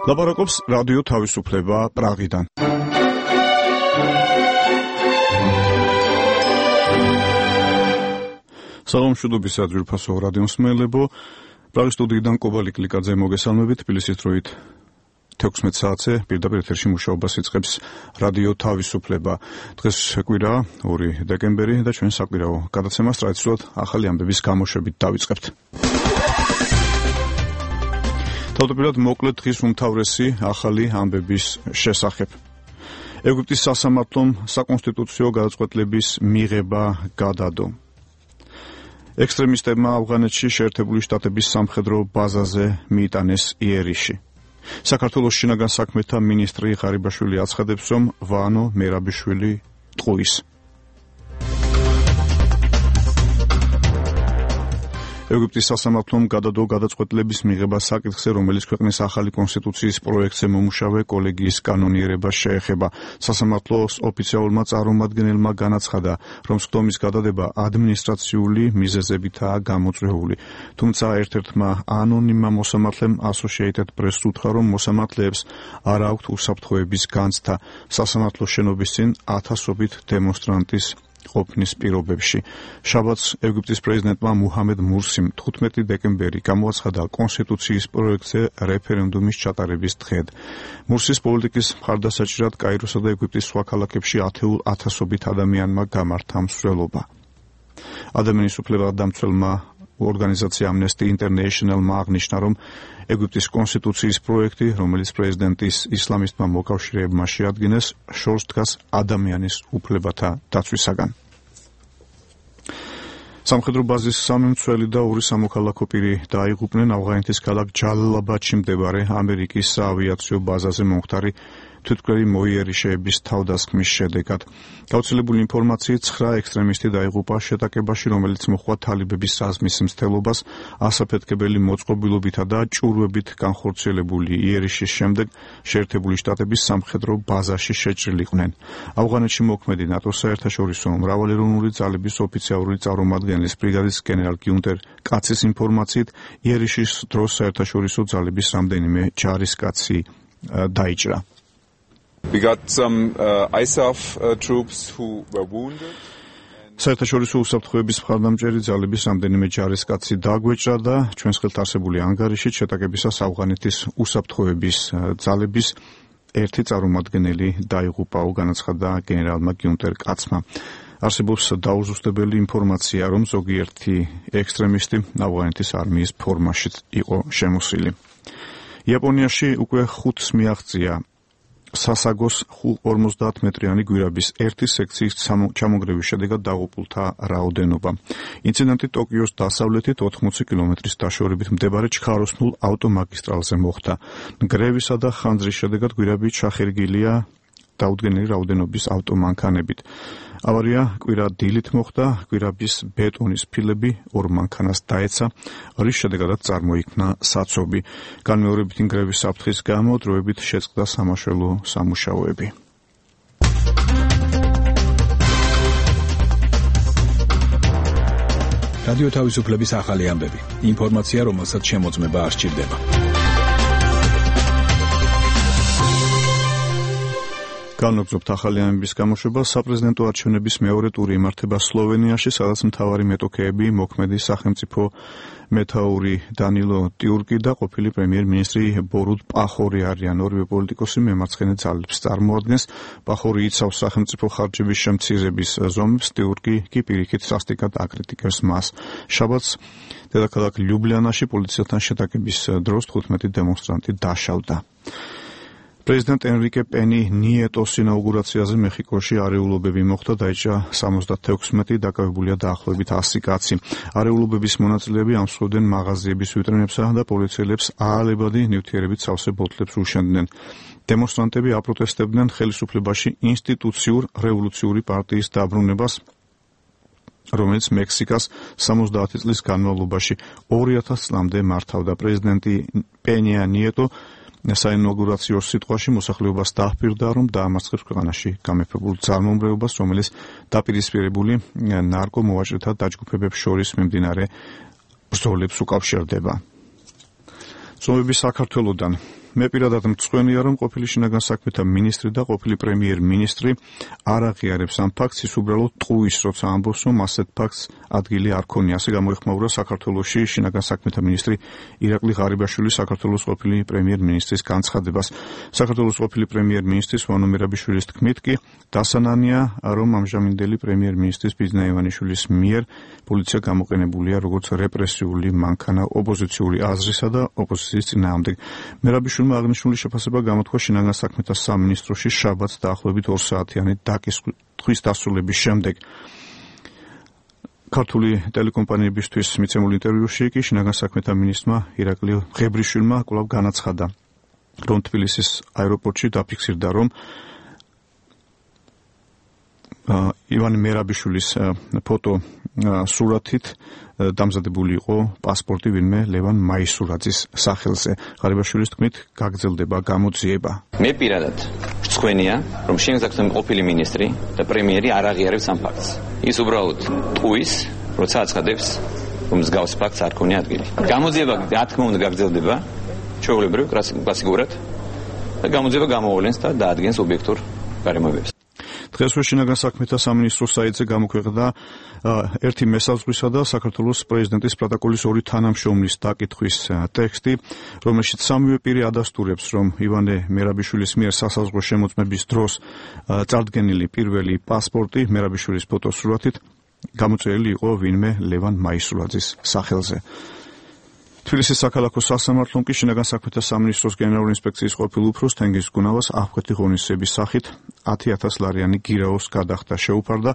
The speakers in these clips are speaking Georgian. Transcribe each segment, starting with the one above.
ლაპარაკობს რადიო თავისუფლება პრაღიდან. საღამოშუდობის ადვირფასო რადიო მსმენელებო, პრაღის სტუდიიდან კობალი კლიკაძე მოგესალმებით. თბილისის დროით 16 საათზე პირდაპირ ეთერში მუშაობას იწყებს რადიო თავისუფლება. დღეს კვირაა 2 დეკემბერი და ჩვენ საკვირაო გადაცემას ტრადიციულად ახალი ამბების გამოშვებით დავიწყებთ. თავდაპირველად მოკლედ დღის უმთავრესი ახალი ამბების შესახებ. ეგვიპტის სასამართლომ საკონსტიტუციო გადაწყვეტილების მიღება გადადო. ექსტრემისტებმა ავღანეთში შეერთებული შტატების სამხედრო ბაზაზე მიიტანეს იერიში. საქართველოს შინაგან საქმეთა მინისტრი ღარიბაშვილი აცხადებს, რომ ვანო მერაბიშვილი ტყუის. ეგვიპტის სასამართლომ გადადო გადაწყვეტილების მიღება საკითხზე, რომელიც ქვეყნის ახალი კონსტიტუციის პროექტზე მომუშავე კოლეგიის კანონიერებას შეეხება. სასამართლოს ოფიციალურმა წარმომადგენელმა განაცხადა, რომ სხდომის გადადება ადმინისტრაციული მიზეზებითაა გამოწვეული. თუმცა ერთ-ერთმა ანონიმმა მოსამართლემ Associated Press-ს უთხრა, რომ მოსამართლეებს არ აქვთ უსაფრთხოების განცდა სასამართლოს შენობის წინ ათასობით დემონსტრანტის ყოფნის პირობებში. შაბათს ეგვიპტის პრეზიდენტმა მუჰამედ მურსიმ 15 დეკემბერი გამოაცხადა კონსტიტუციის პროექტზე რეფერენდუმის ჩატარების დღედ. მურსის პოლიტიკის მხარდასაჭირად კაიროსა და ეგვიპტის სხვა ქალაქებში ათეულ ათასობით ადამიანმა გამართა მსვლელობა. ადამიანის უფლებადამცველმა ორგანიზაცია Amnesty International-მა აღნიშნა, რომ ეგვიპტის კონსტიტუციის პროექტი, რომელიც პრეზიდენტის ისლამისტმა მოკავშირეებმა შეადგინეს, შორს დგას ადამიანის უფლებათა დაცვისაგან. სამხედრო ბაზის 3 მცველი და 2 სამოქალაქო პირი დაიღუპნენ ავღანეთის ქალაქ ჯალალაბადში მდებარე ამერიკის საავიაციო ბაზაზე მომხდარი თვითმკვლელი მოიერიშეების თავდასხმის შედეგად. გავრცელებული ინფორმაციით 9 ექსტრემისტი დაიღუპა შეტაკებაში, რომელიც მოჰყვა თალიბების რაზმის მცდელობას, ასაფეთქებელი მოწყობილობითა და ჭურვებით განხორციელებული იერიშის შემდეგ შეერთებული შტატების სამხედრო ბაზაში შეჭრილიყვნენ. ავღანეთში მოქმედი ნატოს საერთაშორისო მრავალეროვნული ძალების ოფიციალური წარმომადგენლის ბრიგადის გენერალ გიუნტერ კაცის ინფორმაციით, იერიშის დროს საერთაშორისო ძალების რამდენიმე ჯარისკაცი დაიჭრა. We got some ISAF troops who were wounded. საერთაშორისო უსაფრთხოების მხარდამჭერი ძალების რამდენიმე ჯარისკაცი დაგვეჭრა და ჩვენს ხელთ არსებული ანგარიშით შეტაკებისას ავღანეთის უსაფრთხოების ძალების ერთი წარმომადგენელი დაიღუპა, განაცხადა გენერალმა გიუნტერ კაცმა. არსებობს დაუზუსტებელი ინფორმაცია, რომ ზოგიერთი ექსტრემისტი ავღანეთის არმიის ფორმაში იყო შემოსილი. იაპონიაში უკვე 5-ს მიაღწია სასაგოს 50 მეტრიანი გვირაბის ერთი სექციის ჩამონგრევის შედეგად დაღუპულთა რაოდენობა. ინციდენტი ტოკიოს დასავლეთით 80 კილომეტრის დაშორებით მდებარე ჩქაროსნულ ავტომაგისტრალზე მოხდა. ნგრევისა და ხანძრის შედეგად გვირაბი ჩახერგილია დაუდგენელი რაოდენობის ავტომანქანებით. ავარია კვირა დილით მოხდა, გვირაბის ბეტონის ფილები 2 მანქანას დაეცა, რის შედეგადაც წარმოიქმნა საცობი. განმეორებითი ნგრევის საფრთხის გამო დროებით შეწყდა სამაშველო სამუშაოები. რადიო თავისუფლების ახალი ამბები. ინფორმაცია, რომელსაც შემოწმება არ სჭირდება. განვაგრძობთ ახალი ამბების გამოშვება. საპრეზიდენტო არჩევნების მეორე ტური იმართება სლოვენიაში, სადაც მთავარი მეტოქეები მოქმედი სახელმწიფო მეთაური დანილო ტიურკი და ყოფილი პრემიერ-მინისტრი ბორუტ პახორი არიან. ორივე პოლიტიკოსი მემარცხენე ძალებს წარმოადგენს. პახორი იცავს სახელმწიფო ხარჯების შემცირების ზომებს, ტიურკი კი პირიქით სასტიკად აკრიტიკებს მას. შაბათს დედაქალაქ ლიუბლიანაში პოლიციასთან შეტაკების დროს 15 დემონსტრანტი დაშავდა. პრეზიდენტ ენრიკე პენი ნიეტოს ინაუგურაციაზე მეხიკოში არეულობები მოხდა, დაიჭრა 76, დაკავებულია დაახლოებით 100 კაცი. არეულობების მონაწილეები ამსხვრევდნენ მაღაზიების ვიტრინებსა და პოლიციელებს აალებადი ნივთიერებით სავსე ბოთლებს უშენდნენ. დემონსტრანტები აპროტესტებდნენ ხელისუფლებაში ინსტიტუციურ რევოლუციური პარტიის დაბრუნებას, რომელიც მექსიკას 70 წლის განმავლობაში 2000 წლამდე მართავდა. პრეზიდენტი პენია ნიეტო საინაუგურაციო სიტყვაში მოსახლეობას დაჰპირდა, რომ დაამარცხებს ქვეყანაში გამეფებულ ძალმომრეობას, რომელიც დაპირისპირებული ნარკომოვაჭრეთა დაჯგუფებებს შორის მიმდინარე ბრძოლებს უკავშირდება. ზომები საქართველოდან. მე პირადად მწვენია, რომ ყოფილი შინაგან საქმეთა მინისტრი და ყოფილი პრემიერ-მინისტრი არ აღიარებს ამ ფაქტს, ის უბრალოდ ტყუის, როცა ამბობს, რომ ასეთ ფაქტს ადგილი არ ქონია. ასე გამოიხმაურა საქართველოში შინაგან საქმეთა მინისტრი ირაკლი ღარიბაშვილი საქართველოს ყოფილი პრემიერ-მინისტრის განცხადებას. საქართველოს ყოფილი პრემიერ-მინისტრის ვანო მერაბიშვილის თქმით კი დასანანია, რომ ამჟამინდელი პრემიერ-მინისტრის ბიძინა ივანიშვილის მიერ პოლიცია გამოყენებულია როგორც რეპრესიული მანქანა ოპოზიციური აზრისა და ოპოზიციის წინააღმდეგ. მერაბიშვილმა აღნიშნული შეფასება გამოთქვა შინაგან საქმეთა სამინისტროში შაბათს დაახლოებით 2 საათიანი დაკითხვის დასრულების შემდეგ. ქართული ტელეკომპანიებისთვის მიცემულ ინტერვიუში კი შინაგან საქმეთა მინისტრმა ირაკლი ღებრიშვილმა კვლავ განაცხადა, რომ თბილისის აეროპორტში დაფიქსირდა, რომ ივანე მერაბიშვილის ფოტო სურათით დამზადებული იყო პასპორტი ვინმე ლევან მაისურაძის სახელზე. ღარიბაშვილის თქმით, გაგრძელდება გამოძიება. მე პირადად მწვენია, რომ შინაგან საქმეთა ყოფილი მინისტრი და პრემიერი არ აღიარებს ამ ფაქტს. ის უბრალოდ ტყუის, როცა აცხადებს, რომ მსგავს ფაქტს არ ქონია ადგილი. გამოძიება, რა თქმა უნდა, გაგრძელდება ჩვეულებრივ კლასიკურად და გამოძიება გამოავლენს და დაადგენს ობიექტურ გარემოებებს. დღესვე შინაგან საქმეთა სამინისტროს საიტზე გამოქვეყნდა ერთი მესაზღვრისა და საქართველოს პრეზიდენტის პროტოკოლის 2 თანამშრომლის დაკითხვის ტექსტი, რომელშიც სამივე პირი ადასტურებს, რომ ივანე მერაბიშვილის მიერ სასაზღვრო შემოწმების დროს წარდგენილი პირველი პასპორტი მერაბიშვილის ფოტოსურათით გამოწერილი იყო ვინმე ლევან მაისურაძის სახელზე. თბილისის საქალაქო სასამართლომ კი შინაგან საქმეთა სამინისტროს გენერალური ინსპექციის ყოფილ უფროს თენგიზ გუნავას აღკვეთი ღონისძიების სახით 10,000 ლარიანი გირაოს გადახდა შეუფარდა.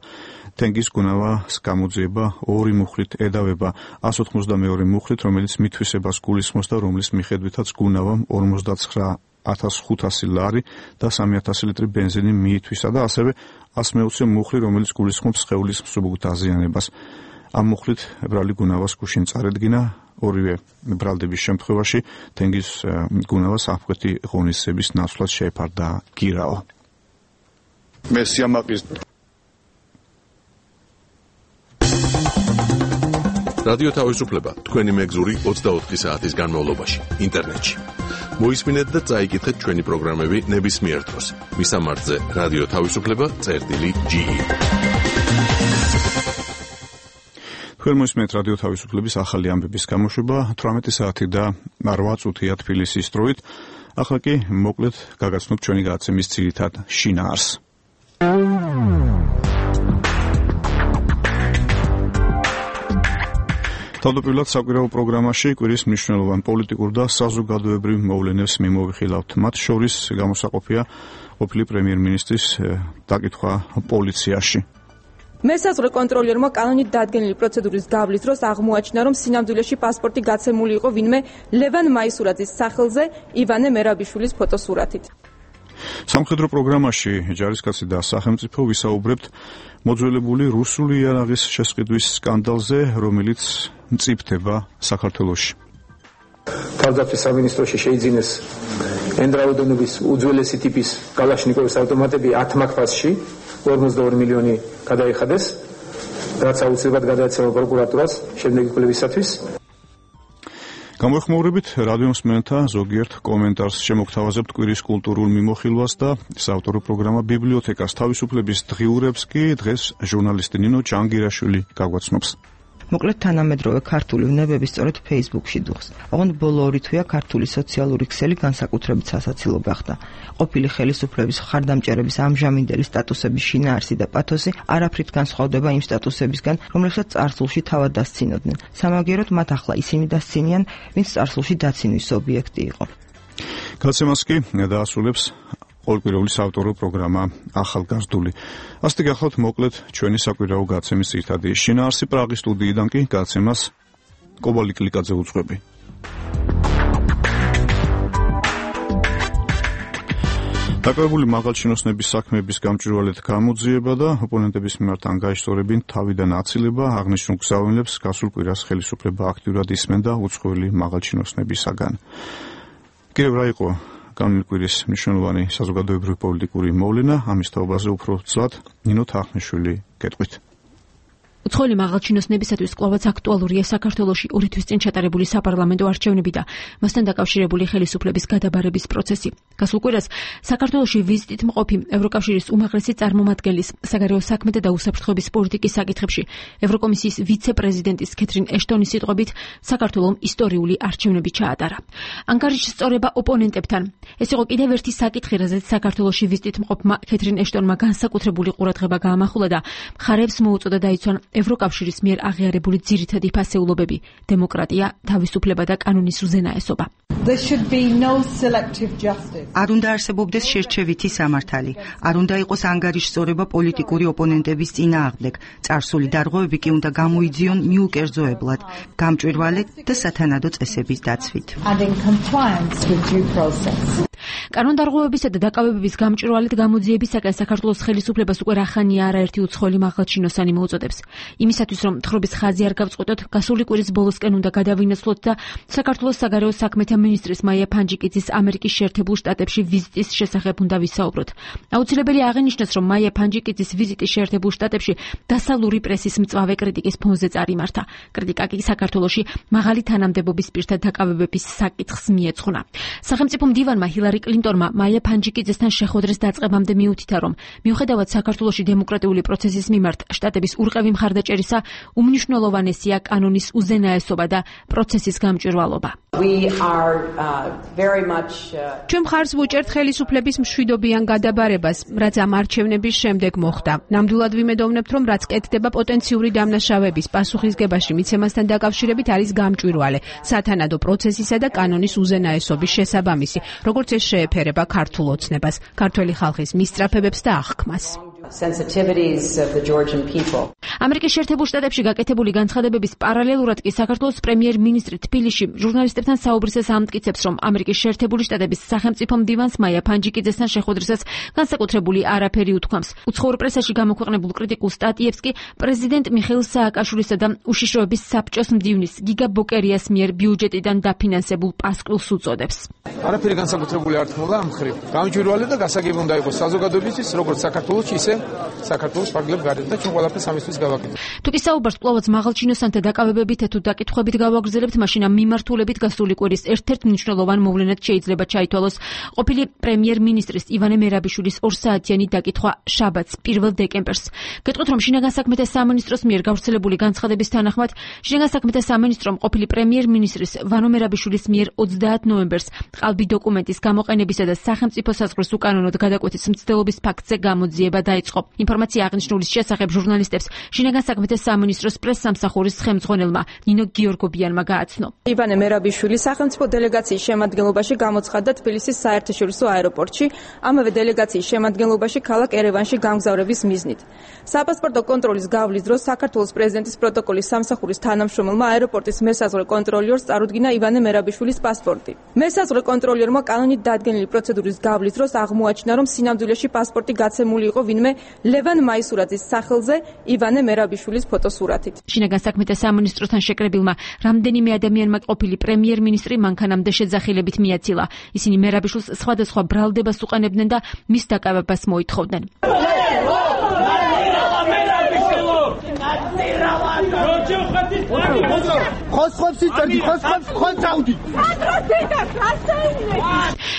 თენგიზ გუნავას გამოძიება 2 მუხლით ედავება 182 მუხლით, რომელიც მითვისებას გულისხმობს და რომლის მიხედვითაც გუნავამ 59,500 ლარი და 3,000 ლიტრი ბენზინი მიითვისა და ასევე 160 მუხლი, რომელიც გულისხმობს სხეულის მსუბუქ დაზიანებას. ამ მუხლით ბრალი გუნავას გუშინ წარედგინა. ორივე ბრალდების შემთხვევაში თენგიზ გუნავას აღკვეთი ღონისძიების ნაცვლად შეეფარდა გირაო. მე სიამაყის რადიო თავისუფლება თქვენი მეგზური 24 საათის განმავლობაში ინტერნეტში. მოისმინეთ და წაიკითხეთ ჩვენი პროგრამები ნებისმიერ დროს. მისამართზე რადიო თავისუფლება.ge. თქვენ მოისმენთ რადიო თავისუფლების ახალი ამბების გამოშვება 18 საათი და 8 წუთია თბილისის დროით. ახლა კი მოკლედ გაგაცნობთ ჩვენი გადაცემის ძირითად შინაარსს. თავდაპირველად საკვირაო პროგრამაში კვირის მნიშვნელოვან პოლიტიკურ და საზოგადოებრივ მოვლენებს მიმოვიხილავთ. მათ შორის გამოსაყოფია ყოფილი პრემიერ-მინისტრის დაკითხვა პოლიციაში. მესაზღვრე კონტროლიერმა კანონით დადგენილი პროცედურის გავლის დროს აღმოაჩინა, რომ სინამდვილეში პასპორტი გაცემული იყო ვინმე ლევან მაისურაძის სახელზე ივანე მერაბიშვილის ფოტოსურათით. სამხედრო პროგრამაში ჯარისკაცი და სახელმწიფო ვისაუბრებთ მოძველებული რუსული იარაღის შესყიდვის სკანდალზე, რომელიც მწიფდება საქართველოში. თავდაცვის სამინისტროში შეიძინეს ენდრაუდონების უძველესი ტიპის კალაშნიკოვის ავტომატები 10 მაქფასში 42 მილიონი გადაიხადეს, რაც აუცილებლად გადაეცემა პროკურატურას შემდეგი კვლევისათვის. გამოეხმაურებით რადიო მსმენელთა ზოგიერთ კომენტარს შემოგთავაზებთ კვირის კულტურულ მიმოხილვას და საავტორო პროგრამა ბიბლიოთეკას თავისუფლების დღიურებს კი დღეს ჟურნალისტი ნინო ჯანგირაშვილი გაგვაცნობს. მოკლედ თანამედროვე ქართული ვნებები სწორედ Facebook-ში დუხს. ოღონდ ბოლო 2 თვეა ქართული სოციალური ქსელი განსაკუთრებით სასაცილო გახდა. ყოფილი ხელისუფლების მხარდამჭერების ამჟამინდელი სტატუსების შინაარსი და პათოსი არაფრით განსხვავდება იმ სტატუსებისგან, რომლებსაც წარსულში თავად დასცინოდნენ. სამაგიეროდ მათ ახლა ისინი დასცინიან, ვინც წარსულში დაცინვის ობიექტი იყო. გადაცემას კი დაასრულებს ყოველკვირეული საავტორო პროგრამა ახალგაზრდული. ასეთი გახლავთ მოკლედ ჩვენი საკვირაო გადაცემის ძირითადი შინაარსი. პრაღის სტუდიიდან კი გადაცემას კობალი კლიკაძე უძღვები. დაკავებული მაღალჩინოსნების საქმეების გამჭვირვალედ გამოძიება და ოპონენტების მიმართ ანგარიშსწორებინ თავიდან აცილება აღნიშნულ გზავნილებს გასულ კვირას ხელისუფლება აქტიურად ისმენდა უცხოელი მაღალჩინოსნებისაგან. კიდევ რა იყო განული კვირის მნიშვნელოვანი საზოგადოებრივი პოლიტიკური მოვლენა, ამის თაობაზე უფრო ცლად ნინო თახნიშვილი გეტყვით. უცხოელი მაღალჩინოსნებისათვის კვლავაც აქტუალურია საქართველოში 2 თვის წინ ჩატარებული საპარლამენტო არჩევნები და მასთან დაკავშირებული ხელისუფლების გადაბარების პროცესი. გასულ კვირას საქართველოში ვიზიტით მყოფი ევროკავშირის უმაღლესი წარმომადგენლის საგარეო საქმეთა და უსაფრთხოების პოლიტიკის საკითხებში ევროკომისიის ვიცე-პრეზიდენტის კეთრინ ეშტონის სიტყვებით საქართველოს ისტორიული არჩევნები ჩაატარა. ანგარიშის სწორება ოპონენტებთან. ეს იყო კიდევ ერთი საკითხი, რაზეც საქართველოში ვიზიტით მყოფმა კეთრინ ეშტონმა განსაკუთრებული ყურადღება გაამახვილა და მხარეებს მოუწოდა დაიცვან ევროკავშირის მიერ აღიარებული ძირითადი ფასეულობები: დემოკრატია, თავისუფლება და კანონის უზენაესობა. არ უნდა არსებობდეს შერჩევითი სამართალი, არ უნდა იყოს ანგარიშ სწორება პოლიტიკური ოპონენტების წინააღმდეგ, წარსული დარღვევები კი უნდა გამოიძიონ მიუკერძოებლად, გამჭვირვალედ და სათანადო წესების დაცვით. კანონდარღვევებისა და დაკავებების გამჭვირვალედ გამოძიებისაკენ საქართველოს ხელისუფლებას უკვე რახანია არაერთი უცხოელი მაღალჩინოსანი მოუწოდებს. იმისათვის რომ თხრობის ხაზი არ გავწყვეტოთ, გასული კვირის ბოლოსკენ უნდა გადავინაცვლოთ და საქართველოს საგარეო საქმეთა მინისტრის მაია ფანჯიკიძის ამერიკის შეერთებულ შტატებში ვიზიტის შესახებ უნდა ვისაუბროთ. აუცილებელი აღინიშნოს, რომ მაია ფანჯიკიძის ვიზიტი შეერთებულ შტატებში დასავლური პრესის მწვავე კრიტიკის ფონზე წარიმართა. კრიტიკა კი საქართველოში მაღალი თანამდებობის პირთა დაკავებების საკითხს მიეძღვნა. სახელმწიფო მდივანმა ჰილარი კლინტონმა მაია ფანჯიკიძესთან შეხვედრის დაწყებამდე მიუთითა, რომ მიუხედავად საქართველოში დემოკრატიული პროცესის მიმართ შტატების ურყევი მხარდაჭერისა, უმნიშვნელოვანესია კანონის უზენაესობა და პროცესის გამჭვირვალობა. ჩვენ მხარს ვუჭერთ ხელისუფლების მშვიდობიან გადაბარებას, რაც ამ არჩევნების შემდეგ მოხდა. ნამდვილად ვიმედოვნებთ, რომ რაც კეთდება პოტენციური დამნაშავების პასუხისგებაში მიცემასთან დაკავშირებით არის გამჭვირვალე, სათანადო პროცესისა და კანონის უზენაესობის შესაბამისი, როგორც ეს შეეფერება ქართულ ოცნებას, ქართველი ხალხის მისწრაფებებს და აღქმას. ამერიკის შეერთებულ შტატებში გაკეთებული განცხადებების პარალელურად კი საქართველოს პრემიერ-მინისტრი თბილისში ჟურნალისტებთან საუბრისას ამტკიცებს, რომ ამერიკის შეერთებული შტატების სახელმწიფო მდივანს მაია ფანჯიკიძესთან შეხვედრისას განსაკუთრებული არაფერი უთქვამს. უცხოურ პრესაში გამოქვეყნებულ კრიტიკულ სტატიებს კი პრეზიდენტ მიხეილ სააკაშვილისა და უშიშროების საბჭოს მდივნის გიგა ბოკერიას მიერ ბიუჯეტიდან დაფინანსებულ პასკვილს უწოდებს. არაფერი განსაკუთრებული არ თქმულა ამ მხრივ. გამჭვირვალე და გასაგები უნდა იყოს საზოგადოებისთვის, როგორც საქართველოს, ისე საქართველოს პარლამენტის გარეთ და ჩვენ ყველაფერს ამისთვის გავაკეთებთ. თუ კი საუბარს კვლავაც მაღალჩინოსანთა დაკავებებით თუ დაკითხვებით გავაგრძელებთ, მაშინ ამ მიმართულებით გასული კვირის ერთ-ერთ მნიშვნელოვან მოვლენად შეიძლება ჩაითვალოს ყოფილი პრემიერ-მინისტრის ივანე მერაბიშვილის 2 საათიანი დაკითხვა შაბათს 1 დეკემბერს. გეტყვით, რომ შინაგან საქმეთა სამინისტროს მიერ გავრცელებული განცხადების თანახმად, შინაგან საქმეთა სამინისტრომ ყოფილი პრემიერ-მინისტრის ვანო მერაბიშვილის მიერ 30 ნოემბერს ყალბი დოკუმენტის გამოყენებისა და სახელმწიფო საზღვრის უკანონოდ გადაკვეთის მცდელობის ფაქტზე გამოძიება დაიწყო. ინფორმაცია აღნიშნულის შესახებ ჟურნალისტებს შინაგან საქმეთა სამინისტროს პრესსამსახურის ხელმძღვანელმა ნინო გიორგობიანმა გააცნო. ივანე მერაბიშვილი სახელმწიფო დელეგაციის შემადგენლობაში გამოცხადდა თბილისის საერთაშორისო აეროპორტში, ამავე დელეგაციის შემადგენლობაში ქალაქ ერევანში გამგზავრების მიზნით. საპასპორტო კონტროლის გავლის დროს საქართველოს პრეზიდენტის პროტოკოლის სამსახურის თანამშრომელმა აეროპორტის მესაზღვრე კონტროლიორს წარუდგინა ივანე მერაბიშვილის პასპორტი. მესაზღვრე კონტროლიორმა კანონით დადგენილი პროცედურის გავლის დროს აღმოაჩინა, რომ სინამდვილეში პასპორტი გაცემული იყო ვინმე ლევან მაისურაძის სახელზე ივანე მერაბიშვილის ფოტოსურათით. შინაგან საქმეთა სამინისტროსთან შეკრებილმა რამდენიმე ადამიანმა ყოფილი პრემიერ-მინისტრი მანქანამდე შეძახილებით მიაცილა. ისინი მერაბიშვილს სხვადასხვა ბრალდებას უყენებდნენ და მის დაკავებას მოითხოვდნენ.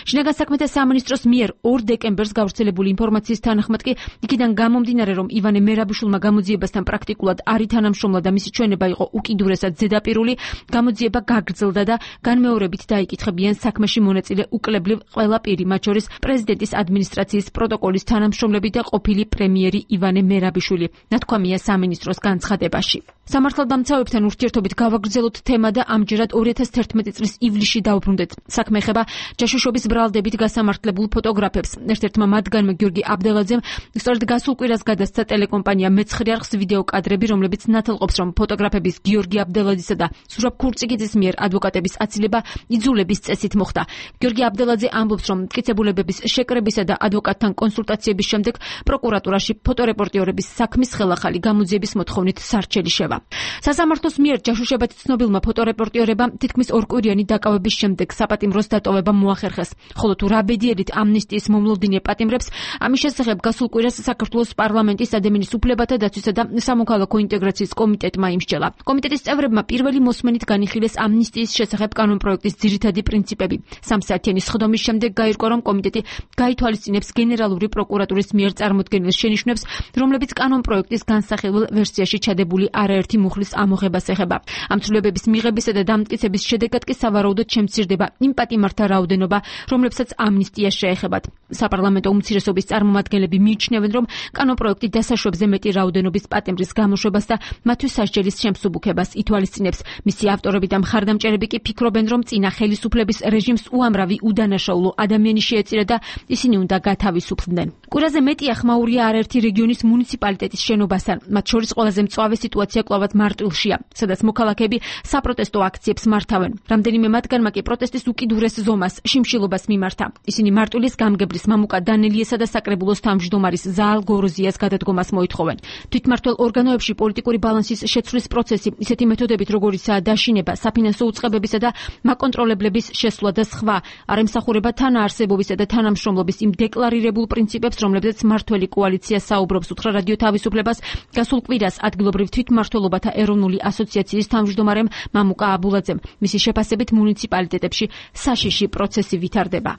შინაგან საქმეთა სამინისტროს მიერ 2 დეკემბერს გავრცელებული ინფორმაციის თანახმად კი იქიდან გამომდინარე, რომ ივანე მერაბიშვილმა გამოძიებასთან პრაქტიკულად არ ითანამშრომლა და მისი ჩვენება იყო უკიდურესად ზედაპირული, გამოძიება გაგრძელდა და განმეორებით დაიკითხებიან საქმეში მონაწილე უკლებლივ ყველა პირი, მათ შორის პრეზიდენტის ადმინისტრაციის პროტოკოლის თანამშრომლები და ყოფილი პრემიერი ივანე მერაბიშვილი, ნათქვამია სამინისტროს განცხადებაში. სამართალდამცავებთან ურთიერთობით გავაგრძელოთ თემა და ამჯერად 2011 წლის ივლისში დავბრუნდეთ. საქმე ეხება ჯაშუშობის ბრალდებით გასამართლებულ ფოტოგრაფებს. ერთ-ერთმა მათგანმა გიორგი აბდელაძემ სწორედ გასულ კვირას გადასცა ტელეკომპანია მეცხრე არხს ვიდეო კადრები, რომლებიც ნათელყოფს, რომ ფოტოგრაფების გიორგი აბდელაძისა და სურაბ ქურწიგიძის მიერ ადვოკატების აცილება იძულების წესით მოხდა. გიორგი აბდელაძე ამბობს, რომ მტკიცებულებების შეკრებისა და ადვოკატთან კონსულტაციების შემდეგ პროკურატურაში ფოტორეპორტიორების საქმის ხელახალი გამოძიების მოთხოვნით სარჩელი შევა. სასამართლოს მიერ ჯაშუშებად ცნობილმა ფოტორეპორტიორებამ თითქმის ორკვირიანი დაკავების შემდეგ საპატიმროს დატოვება მოახერხეს. ხოლო თუ რა ბედიერით ამნისტიის მომლოდინე პატიმრებს, ამის შესახებ გასულ კვირას საქართველოს პარლამენტის ადამიანის უფლებათა დაცვისა და სამოქალაქო ინტეგრაციის კომიტეტმა იმსჯელა. კომიტეტის წევრებმა პირველი მოსმენით განიხილეს ამნისტიის შესახებ კანონპროექტის ძირითადი პრინციპები. 3 საათიანი სხდომის შემდეგ გაირკვა, რომ კომიტეტი გაითვალისწინებს გენერალური პროკურატურის მიერ წარმოდგენილ შენიშვნებს, რომლებიც კანონპროექტის განსახილველ ვერსიაში ჩადებული არაერთი მუხლის ამოღებას ეხება. ამ ცვლილებების მიღებისა და დამტკიცების შედეგად კი სავარაუდოდ შემცირდება იმ პატიმართა რაოდენობა, რომლებსაც ამნისტია შეეხებათ. საპარლამენტო უმცირესობის წარმომადგენლები მიიჩნევენ, რომ კანონპროექტი დასაშვებზე მეტი რაოდენობის პატიმრის გამოშვებას და მათთვის სასჯელის შემსუბუქებას ითვალისწინებს. მისი ავტორები და მხარდამჭერები კი ფიქრობენ, რომ წინა ხელისუფლების რეჟიმს უამრავი უდანაშაულო ადამიანი შეეწირა და ისინი უნდა გათავისუფლდნენ. კვირაზე მეტია ხმაურია არაერთი რეგიონის მუნიციპალიტეტის შენობასთან. მათ შორის ყველაზე მწვავე სიტუაცია კვლავად მარტვილშია, სადაც მოქალაქეები საპროტესტო აქციებს მართავენ. რამდენიმე მათგანმა კი პროტესტის უკიდურეს ზომას, შიმშილობას მიმართა. ისინი მარტვილის გამგებლის მამუკა დანელიესა და საკრებულოს თავმჯდომარის ზაალ გოროზიას გადადგომას მოითხოვენ. თვითმმართველ ორგანოებში პოლიტიკური ბალანსის შეცვლის პროცესი ისეთი მეთოდებით, როგორიცაა დაშინება, საფინანსო უწყებებისა და მაკონტროლებლების შესვლა და სხვა, არ ემსახურება თანაარსებობისა და თანამშრომლობის იმ დეკლარირებულ პრინციპებს, რომლებზეც მმართველი კოალიცია საუბრობს, უთხრა რადიო თავისუფლებას გასულ კვირას ადგილობრივ თვითმმართველობათა ეროვნული ასოციაციის თავმჯდომარემ მამუკა აბულაძემ. მისი შეფასებით მუნიციპალიტეტებში საშიში პროცესი ვითარდება.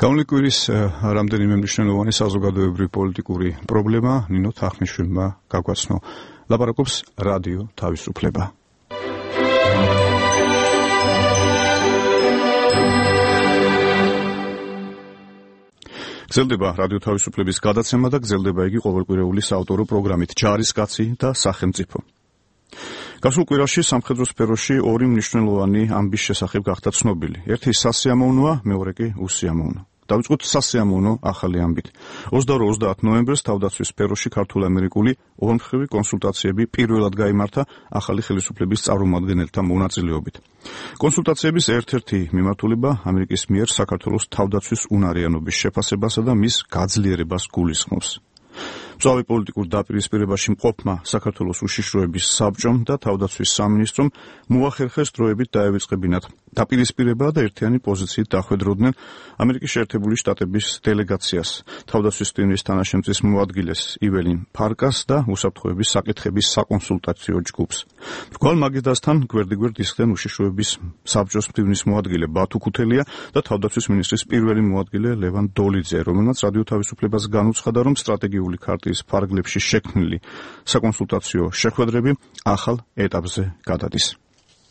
გამოვლინი კვირის რამდენიმე მნიშვნელოვანი საზოგადოებრივი პოლიტიკური პრობლემა ნინო თახმიშვილმა გაგვაცნო. ლაპარაკობს რადიო თავისუფლება. გრძელდება რადიო თავისუფლების გადაცემა და გრძელდება იგი ყოველკვირეული საავტორო პროგრამით ჯარისკაცი და სახელმწიფო. გასულ კვირაში სამხედრო სფეროში ორი მნიშვნელოვანი ამბის შესახებ გახდა ცნობილი. ერთი სასიამოვნოა, მეორე კი უსიამოვნო. დავიწყოთ სასიამოვნო ახალი ამბით. 22-30 ნოემბერს თავდაცვის სფეროში ქართულ-ამერიკული ორმხრივი კონსულტაციები პირველად გაიმართა ახალი ხელისუფლების წარმომადგენელთა მონაწილეობით. კონსულტაციების ერთ-ერთი მიმართულება ამერიკის მიერ საქართველოს თავდაცვის უნარიანობის შეფასებასა და მის გაძლიერებას გულისხმობს. მწვავე პოლიტიკურ დაპირისპირებაში მყოფმა საქართველოს უშიშროების საბჭომ და თავდაცვის სამინისტრომ მოახერხეს დროებით დაევიწყებინათ დაპირისპირება და ერთიანი პოზიციით დახვედროდნენ ამერიკის შეერთებული შტატების დელეგაციას, თავდაცვის ტვინის თანაშემწის მოადგილეს იველინ ფარკას და უსაფრთხოების საკითხების საკონსულტაციო ჯგუფს. მრგვალ მაგიდასთან გვერდიგვერდ ისხდნენ უშიშროების საბჭოს ტვინის მოადგილე ბათუ ქუთელია და თავდაცვის მინისტრის პირველი მოადგილე ლევან დოლიძე, რომელმაც რადიო თავისუფლებას განუცხადა, რომ სტრატეგიული ქარტიის ფარგლებში შექმნილი საკონსულტაციო შეხვედრები ახალ ეტაპზე გადადის.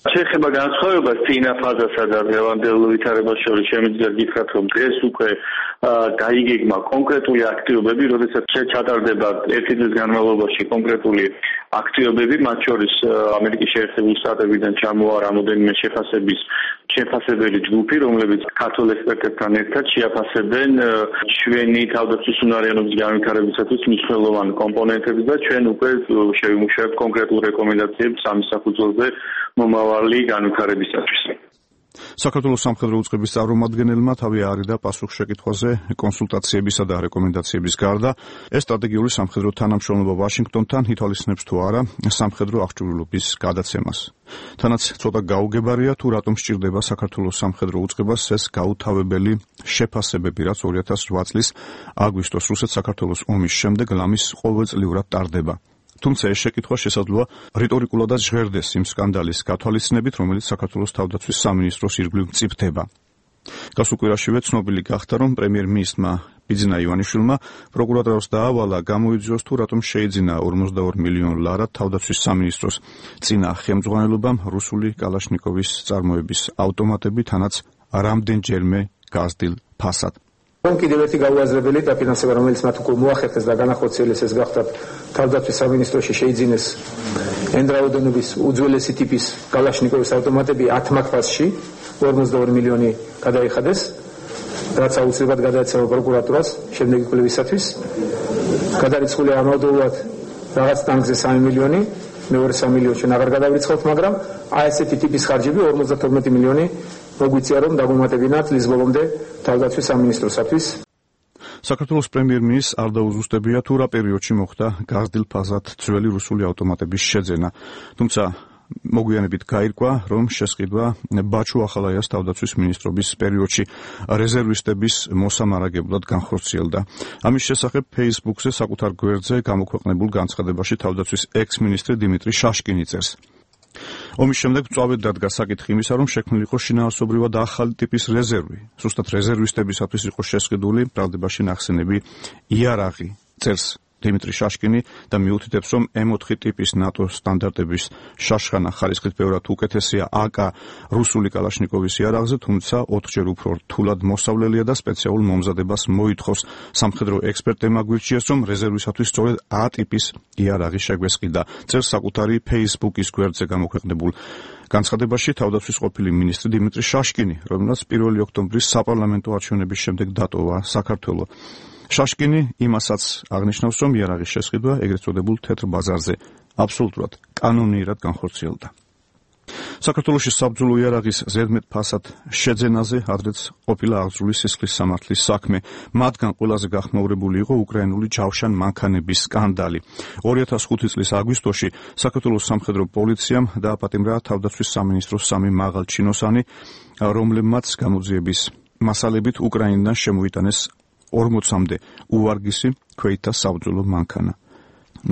შეეხება განსხვავებას წინა ფაზასა და დღევანდელ ვითარებას შორის შემიძლია გითხრათ, რომ დღეს უკვე გაიგეგმა კონკრეტული აქტივობები, როდესაც ჩატარდება ერთი დღის განმავლობაში კონკრეტული აქტივობები, მათ შორის ამერიკის შეერთებული შტატებიდან ჩამოვა რამოდენიმე შეფასებელი ჯგუფი, რომლებიც ქართულ ექსპერტებთან ერთად შეაფასებენ ჩვენი თავდაცვის უნარიანობის განვითარებისათვის მნიშვნელოვან კომპონენტებს და ჩვენ უკვე შევიმუშავებთ კონკრეტულ რეკომენდაციებს ამის საფუძველზე მომავალი განვითარებისათვის. საქართველოს სამხედრო უწყების წარმომადგენელმა თავი არიდა პასუხ შეკითხვაზე კონსულტაციებისა და რეკომენდაციების გარდა ეს სტრატეგიული სამხედრო თანამშრომლობა ვაშინგტონთან ითვალისწინებს თუ არა სამხედრო აღჭურვილობის გადაცემას. თანაც ცოტა გაუგებარია თუ რატომ სჭირდება საქართველოს სამხედრო უწყებას ეს გაუთავებელი შეფასებები, რაც 2008 წლის აგვისტოს რუსეთ-საქართველოს ომის შემდეგ ლამის ყოველწლიურად ტარდება. თუმცა ეს შეკითხვა შესაძლოა რიტორიკულადაც ჟღერდეს იმ სკანდალის გათვალისწინებით, რომელიც საქართველოს თავდაცვის სამინისტროს ირგვლივ მწიფდება. გასულ კვირაშივე ცნობილი გახდა, რომ პრემიერ-მინისტრმა ბიძინა ივანიშვილმა პროკურატურას დაავალა გამოიძიოს თუ რატომ შეიძინა 42 მილიონ ლარად თავდაცვის სამინისტროს წინა ხელმძღვანელობამ რუსული კალაშნიკოვის წარმოების ავტომატები, თანაც რამდენჯერმე გაზრდილ ფასად. კიდევ ერთი გაუაზრებელი დაფინანსება, რომელიც მათ უკვე მოახერხეს და განახორციელეს, ეს გახდათ თავდაცვის სამინისტროში შეიძინეს ენდრაოდენობის უძველესი ტიპის კალაშნიკოვის ავტომატები 10 მაგფასში 42 მილიონი გადაიხადეს, რაც აუცილებლად გადაეცემა პროკურატურას შემდეგი კვლევისათვის. გადარიცხული ამავდროულად რაღაც ტანკზე 3 მილიონი, მეორე 3 მილიონი ჩვენ აღარ გადავირიცხავთ, მაგრამ ესეთი ტიპის ხარჯები 52 მილიონი მოგვიწია, რომ დაგუმატებინათ წლის ბოლომდე თავდაცვის სამინისტროსათვის. საქართველოს პრემიერ-მინისტრს არ დაუზუსტებია თუ რა პერიოდში მოხდა გაზრდილ ფაზად ძველი რუსული ავტომატების შეძენა. თუმცა მოგვიანებით გაირკვა, რომ შესყიდვა ბაჩუ ახალაიას თავდაცვის მინისტრობის პერიოდში რეზერვისტების მოსამარაგებლად განხორციელდა. ამის შესახებ Facebook-ზე საკუთარ გვერდზე გამოქვეყნებულ განცხადებაში თავდაცვის ექს-მინისტრი დიმიტრი შაშკინი წერს. ომის შემდეგ წვავედ დადგა საკითხი იმისა, რომ შექმნილი იყო შინაარსობრივად ახალი ტიპის რეზერვი. ზუსტად რეზერვისტებისათვის იყო შესყიდული ბრალდებაში ნახსენები იარაღი, წერს დიმიტრი შაშკინი და მიუთითებს, რომ M4 ტიპის ნატო სტანდარტების შაშხანა ხარისხით ბევრად უკეთესია AK რუსული კალაშნიკოვის იარაღზე, თუმცა 4-ჯერ უფრო რთულად მოსავლელია და სპეციალურ მომზადებას მოითხოვს. სამხედრო ექსპერტებმა გვირჩიეს, რომ რეზერვისათვის სწორედ A ტიპის იარაღი შეგვესყიდა. წერს საკუთარი Facebook-ის გვერდზე გამოქვეყნებულ განცხადებაში თავდაცვის ყოფილი მინისტრი დიმიტრი შაშკინი, რომელსაც 1 ოქტომბრის საპარლამენტო არჩევნების შემდეგ დატოვა საქართველო. შაშკინი იმასაც აღნიშნავს, რომ იარაღის შესყიდვა ეგრეთ წოდებულ თეთრ ბაზარზე აბსოლუტურად კანონიერად განხორციელდა. საქართველოში საბრძოლო იარაღის ზედმეტ ფასად შეძენაზე ადრეც ყოფილა აღძრული სისხლის სამართლის საქმე. მათგან ყველაზე გახმაურებული იყო უკრაინული ჯავშან მანქანების სკანდალი. 2005 წლის აგვისტოში საქართველოს სამხედრო პოლიციამ დააპატიმრა თავდაცვის სამინისტროს 3 მაღალჩინოსანი, რომლებმაც გამოძიების მასალებით უკრაინიდან შემოიტანეს 40-მდე უვარგისი ქვეითთა საბრძოლო მანქანა.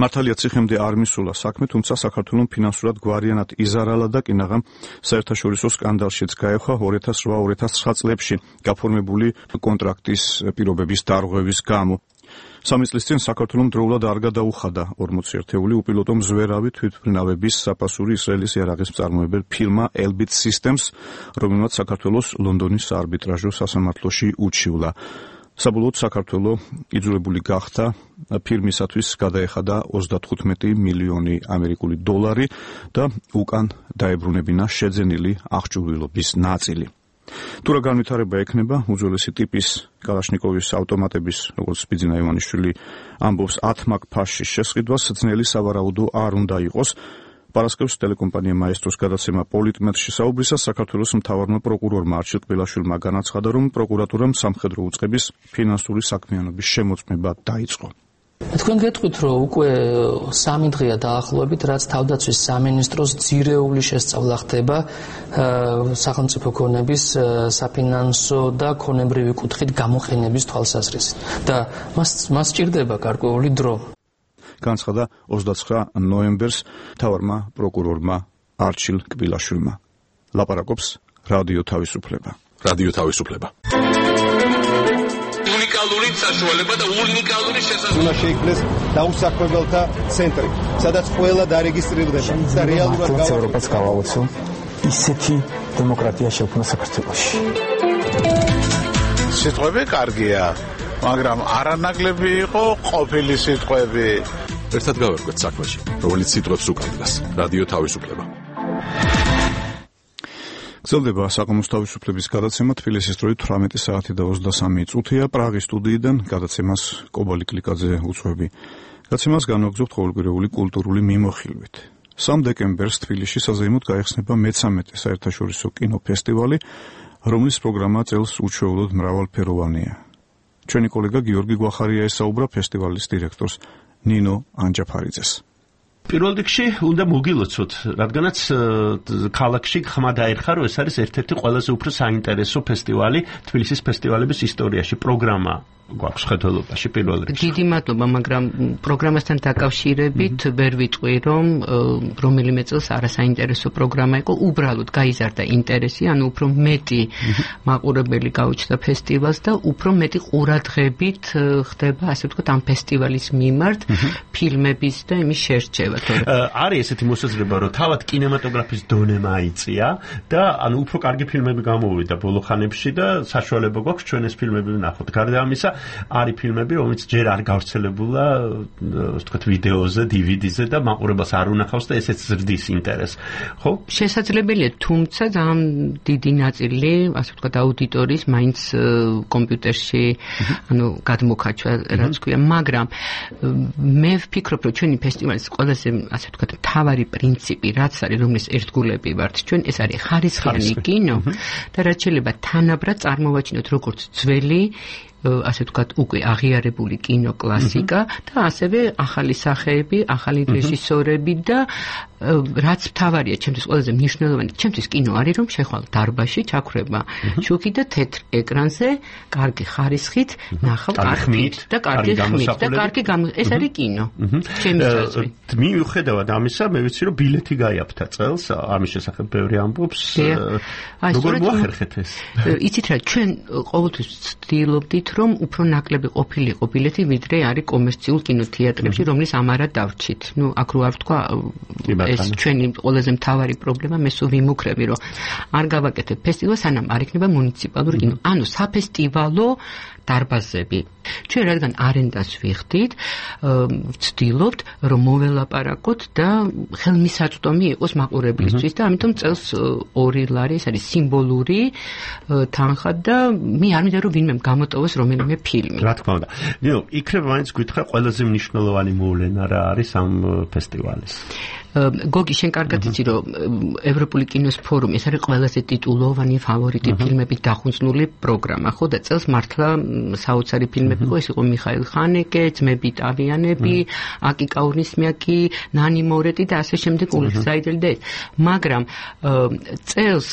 მართალია ციხემდე არ მისულა საქმე, თუმცა საქართველოს ფინანსურად გვარიანად იზარალა და კინაღამ საერთაშორისო სკანდალშიც გაეხვა 2008-2009 წლებში გაფორმებული კონტრაქტის პირობების დარღვევის გამო. 3 წლის წინ საქართველოს დროულად არ გადაუხადა 40 ერთეული უპილოტო მზვერავი თვითმფრინავების საფასური ისრაელის იარაღის მწარმოებელ ფირმა Elbit Systems, რომელმაც საქართველოს ლონდონის საარბიტრაჟო სასამართლოში უჩივლა. საბოლოოდ საქართველო იძულებული გახდა ფირმისათვის გადაეხადა 35 მილიონი ამერიკული დოლარი და უკან დაებრუნებინა შეძენილი აღჭურვილობის ნაწილი. თუ რა განვითარება ექნება უძველესი ტიპის კალაშნიკოვის ავტომატების, როგორც ბიძინა ივანიშვილი ამბობს, 10 მაგ ფაშის შესყიდვას ძნელი სავარაუდო არ უნდა იყოს. პარასკევს ტელეკომპანია მაესტროს გადაცემა პოლიტმეტრში საუბრისას საქართველოს მთავარმა პროკურორმა არჩილ კბილაშვილმა განაცხადა, რომ პროკურატურამ სამხედრო უწყების ფინანსური საქმიანობის შემოწმება დაიწყო. თქვენ გეტყვით, რომ უკვე 3 დღეა დაახლოებით, რაც თავდაცვის სამინისტროს ძირეული შესწავლა ხდება სახელმწიფო ქონების საფინანსო და ქონებრივი კუთხით გამოყენების თვალსაზრისით და მას სჭირდება გარკვეული დრო. განცხადა 29 ნოემბერს მთავარმა პროკურორმა არჩილ კბილაშვილმა. ლაპარაკობს რადიო თავისუფლება. უნიკალური საშუალება და უნიკალური შესაძლებლობა. უნდა შეიქმნეს დაუსაქმებელთა ცენტრი, სადაც ყველა დარეგისტრირდება და რეალურად ევროპას გავაოცო ისეთი დემოკრატია შექმნა საქართველოში. სიტყვები კარგია, მაგრამ არანაკლები იყო ყოფილი სიტყვები. ერთად გავერკვეთ საქმეში, რომელიც სიტყვებს უკავშირდება. რადიო თავისუფლება. გრძელდება საკომოს თავისუფლების გადაცემა თბილისის დროით 18 საათი და 23 წუთია პრაღის სტუდიიდან გადაცემას კობალი კლიკაძე უწევი. გადაცემას განვაგრძობთ ყოველკვირეული კულტურული მიმოხილვით. 3 დეკემბერს თბილისში საზეიმოდ გაიხსნება მე-13 საერთაშორისო კინოფესტივალი, რომლის პროგრამა წელს უჩვეულოდ მრავალფეროვანია. ჩვენი კოლეგა გიორგი გვახარია ესაუბრა ფესტივალის დირექტორს ნინო ანჯაფარიძეს. პირველ რიგში უნდა მოგილოცოთ, რადგანაც ქალაქში ხმა დაერხა, რომ ეს არის ერთ-ერთი ყველაზე უფრო საინტერესო ფესტივალი თბილისის ფესტივალების ისტორიაში, პროგრამა გვაქვს ხელთვალობაში პირველ რიგში. დიდი მადლობა, მაგრამ პროგრამასთან დაკავშირებით ვერ ვიტყვი, რომ რომელიმე წელს არასაინტერესო პროგრამა იყო, უბრალოდ გაიზარდა ინტერესი, ანუ უფრო მეტი მაყურებელი გაუჩნდა ფესტივალს და უფრო მეტი ყურადღებით ხდება, ასე ვთქვათ, ამ ფესტივალის მიმართ ფილმების და იმის შერჩევა. არის ესეთი მოსაზრება, რომ თავად კინემატოგრაფის დონე მაიწია და ანუ უფრო კარგი ფილმები გამოვიდა ბოლო ხანებში და საშუალება გვაქვს ჩვენ ეს ფილმები ვნახოთ. გარდა ამისა, არის ფილმები, რომელიც ჯერ არ გავრცელებულა, ვთქვათ, ვიდეოზე, DVD-ზე და მაყურებელს არ უნახავს და ესეც ზრდის ინტერესს. ხო? შესაძლებელია, თუმცა ძალიან დიდი ნაწილი, ასე ვთქვათ, აუდიტორიის მაინც კომპიუტერში, ანუ გადმოქაჩვა, რაც ქვია, მაგრამ მე ვფიქრობ, რომ ჩვენი ფესტივალის ყველაზე, ასე ვთქვათ, მთავარი პრინციპი, რაც არის, რომლის ერთგულები ვართ ჩვენ, ეს არის ხარისხიანი კინო და რაც შეიძლება თანაბრად წარმოვაჩინოთ როგორც ძველი ასე ვთქვათ, უკვე აღიარებული კინო კლასიკა და ასევე ახალი სახეები, ახალი რეჟისორები და რაც მთავარია ჩემთვის ყველაზე მნიშვნელოვანი, ჩემთვის კინო არის რომ შეხვალ დარბაზში ჩაქრება შუქი და თეთრ ეკრანზე კარგი ხარისხით ნახავ ხმით და კარგი ხმით და კარგი ეს არის კინო ჩემი საზრით მიუხედავად ამისა მე ვიცი რომ ბილეთი გაიაფთა წელს ამის შესახებ ბევრი ამბობს როგორ მოახერხეთ ეს იცით რა ჩვენ ყოველთვის ვცდილობდით რომ უფრო ნაკლები ყოფილიყო ბილეთი ვიდრე არის კომერციულ კინოთეატრებში რომლის ამარად დავრჩით აქ რო არ ვთქვა ეს ჩვენი ყველაზე მთავარი პრობლემა მე სულ ვიმუქრები რომ არ გავაკეთებ ფესტივალს სანამ არ იქნება მუნიციპალური კინო ანუ საფესტივალო დარბაზები ჩვენ რადგან არენდას ვიხდით ვცდილობთ რომ მოველაპარაკოთ და ხელმისაწვდომი იყოს მაყურებლისთვის და ამიტომ წელს 2 ლარი ეს არის სიმბოლური თანხა და მე არ მინდა რომ ვინმე გამოტოვოს რომელიმე ფილმი რა თქმა უნდა ნუ იქნებ მაინც გითხრა ყველაზე მნიშვნელოვანი მოვლენა რა არის ამ ფესტივალის გოგი შენ კარგად იცი რომ ევროპული კინოს ფორუმი ეს არის ყველაზე ტიტულოვანი ფავორიტი ფილმებით დახუნწნული პროგრამა ხო და წელს მართლა საოცარი ფილმები იყო ეს იყო მიხაილ ხანეკე ძმები ტავიანები აკი კაურნისმიაკი ნანი მორეტი და ასე შემდეგ ულიხსაიდელი და მაგრამ წელს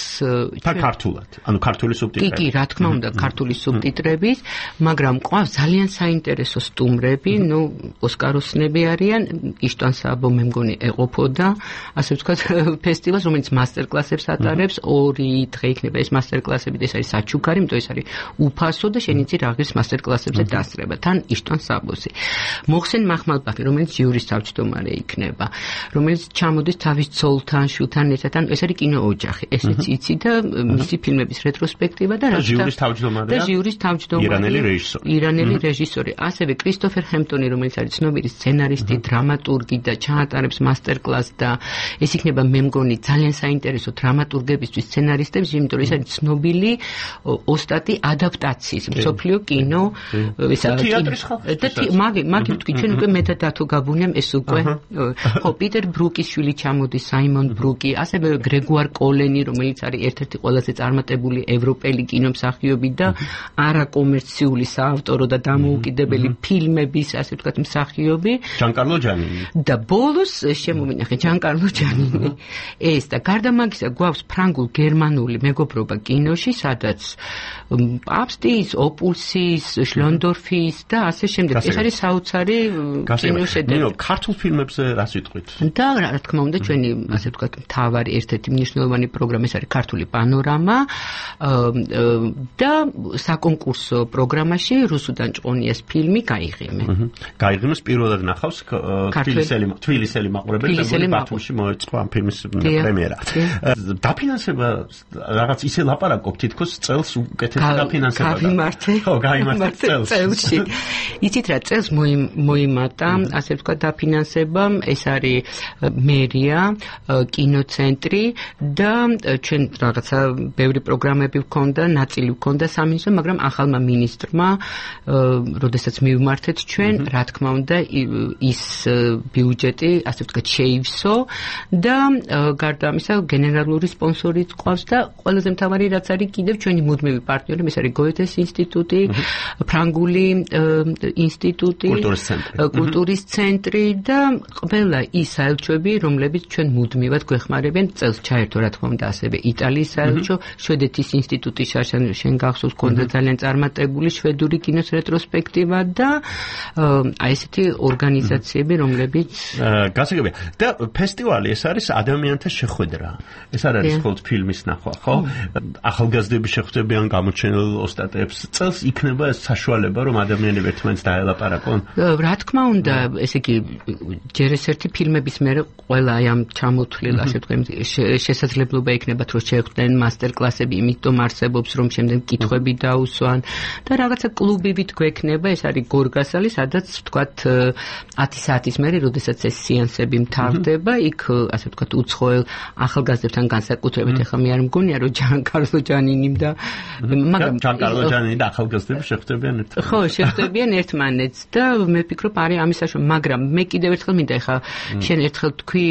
ქართულად ანუ ქართული სუბტიტრები კი რა თქმა უნდა ქართული სუბტიტრების მაგრამ ყავს ძალიან საინტერესო სტუმრები ნუ ოსკაროსნები არიან იშტვან საბო მე მგონი ეყოფო და ასე ვთქვათ ფესტივალს რომელიც მასტერკლასებს ატარებს 2 დღე იქნება ეს მასტერკლასები და ეს არის საჩუქარი იმიტომ ეს არის უფასო და შენ იცი რა ღირს მასტერკლასებზე დასწრება თან იშტვან საბოსი მოხსენ მახმალბაფი რომელიც ჟიურის თავმჯდომარე იქნება რომელიც ჩამოდის თავის ცოლთან შუთან ერთად ან ეს არის კინო ოჯახი ესეც იცი და მისი ფილმების რეტროსპექტივა და რა ჟიურის თავმჯდომარე ირანელი რეჟისორი ასევე კრისტოფერ ჰემპტონი რომელიც არის ცნობილი სცენარისტი დრამატურგი და ჩაატარებს მასტერკლასს და ეს იქნება მე მგონი ძალიან საინტერესო დრამატურგებისთვის სცენარისტებს იმიტომ რომ ეს არის ცნობილი ოსტატი ადაპტაციის მსოფლიო კინო ესა და მაგი ვთქვი ჩვენ უკვე მე და დათო გაბუნიამ ეს უკვე ხო პიტერ ბრუკის შვილი ჩამოდის საიმონ ბრუკი ასევე გრეგუარ კოლენი რომელიც არის ერთ-ერთი ყველაზე წარმატებული ევროპელი კინომსახიობი და არაკომერციული საავტორო და დამოუკიდებელი ფილმების ასე ვთქვათ მსახიობი ჯანკარლო ჯანინი და ბოლოს შემოვინახე ჯანკარლო ჯანინი ეს და გარდა მაგისა გვაქვს ფრანგულ-გერმანული მეგობრობა კინოში სადაც პაპსტის, ოპულსის, შლონდორფის და ასე შემდეგ ეს არის საოცარი კინოშედევრი ქართულ ფილმებზე რას ვიტყვით და რა თქმა უნდა ჩვენი ასე ვთქვათ მთავარი ერთ-ერთი მნიშვნელოვანი პროგრამა ეს არის ქართული პანორამა და საკონკურსო პროგრამაში რუსუდან ჭყონიას ფილმი გაიღიმე გაიღიმეს პირველად ნახავს თბილისელი მაყურებელი ბათუმში მოეწყო ამ ფილმის პრემიერა დაფინანსება რაღაც ისე ლაპარაკობ თითქოს წელს უკეთესი დაფინანსება გავიმართე წელში იცით რა წელს მოიმატა ასე ვთქვათ დაფინანსება ეს არის მერია კინოცენტრი და ჩვენ რაღაცა ბევრი პროგრამები ვქონდა ნაწილი ვქონდა სამინისტრომ მაგრამ ახალმა მინისტრმა როდესაც მივმართეთ ჩვენ რა თქმა უნდა ის ბიუჯეტი ასე ვთქვათ შეივსო და გარდა ამისა გენერალური სპონსორიც ყავს და ყველაზე მთავარი რაც არის კიდევ ჩვენი მუდმივი პარტნიორი ეს არის გოეთეს ინსტიტუტი ფრანგული ინსტიტუტი კულტურის ცენტრი და ყველა ის საელჩოები რომლებიც ჩვენ მუდმივად გვეხმარებიან წელს ჩაერთო რა თქმა უნდა ასევე იტალიის საელჩო შვედეთის ინსტიტუტი შენ გახსოვს კონდა ძალიან წარმატებული შვედური კინოს რეტროსპექტივა და აი ესეთი ორგანიზაციები რომლებიც გასაგებია და ფესტივალი ეს არის ადამიანთა შეხვედრა ეს არ არის მხოლოდ ფილმის ნახვა ხო ახალგაზრდები შეხვდებიან გამოჩენილ ოსტატებს წელს იქნება ეს საშუალება რომ ადამიანები ერთმანეთს დაელაპარაკონ რა თქმა უნდა ესე იგი ჯერ ეს ერთი ფილმების მერე ყველა აი ამ ჩამოთვლილ ასე ვთქვათ შესაძლებლობა იქნებათ რომ შეხვდნენ მასტერკლასები იმიტომ არსებობს რომ შემდეგ კითხვები დაუსვან და რაღაცა კლუბივით გვექნება ეს არის გორგასალი სადაც ვთქვათ 10 საათის მერე როდესაც ეს სეანსები მთავრდება იქ ასე ვთქვათ უცხოელ ახალგაზრდებთან განსაკუთრებით ახლა მე არ მგონია რომ ჯანკარლო ჯანინიმ და მაგრამ ჯანკარლო ჯანინი და ახალგაზრდები შეხვდებიან ერთმანეთს ხო შეხვდებიან ერთმანეთს და მე ვფიქრობ არის ამის საშუალება მაგრამ მე კიდევ ერთხელ მინდა ახლა შენ ერთხელ თქვი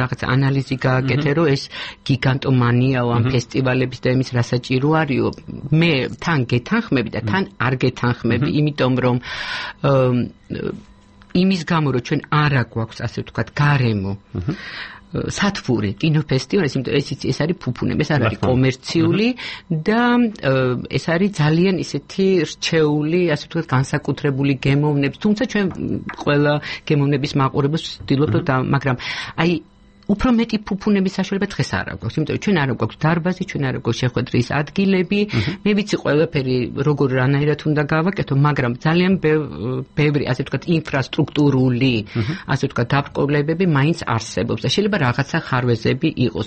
რაღაც ანალიზი გააკეთე რომ ეს გიგანტომანიაო ამ ფესტივალების და იმის რა საჭირო არისო მე თან გეთანხმები და თან არ გეთანხმები იმიტომ რომ იმის გამო რომ ჩვენ არა გვაქვს ასე ვთქვათ გარემო სათბური კინოფესტივალი, იმიტომ ეს არის ფუფუნები, ეს არ არის კომერციული და ეს არის ძალიან ისეთი რჩეული, ასე ვთქვათ, განსაკუთრებული გემოვნები, თუმცა ჩვენ ყველა გემოვნების მაყურებელს ვცდილობთ, მაგრამ აი უფრო მეტი ფუფუნების საშუალება დღეს არ აქვს, იმიტომ რომ ჩვენ არ გვაქვს დარბაზი, ჩვენ არ გვაქვს შეხვედრის ადგილები, მე ვიცი ყველაფერი როგორ რანაირად უნდა გავაკეთო, მაგრამ ძალიან ბევრი, ასე ვთქვათ, ინფრასტრუქტურული, ასე ვთქვათ, დაბრკოლებები მაინც არსებობს და შეიძლება რაღაცა ხარვეზები იყოს,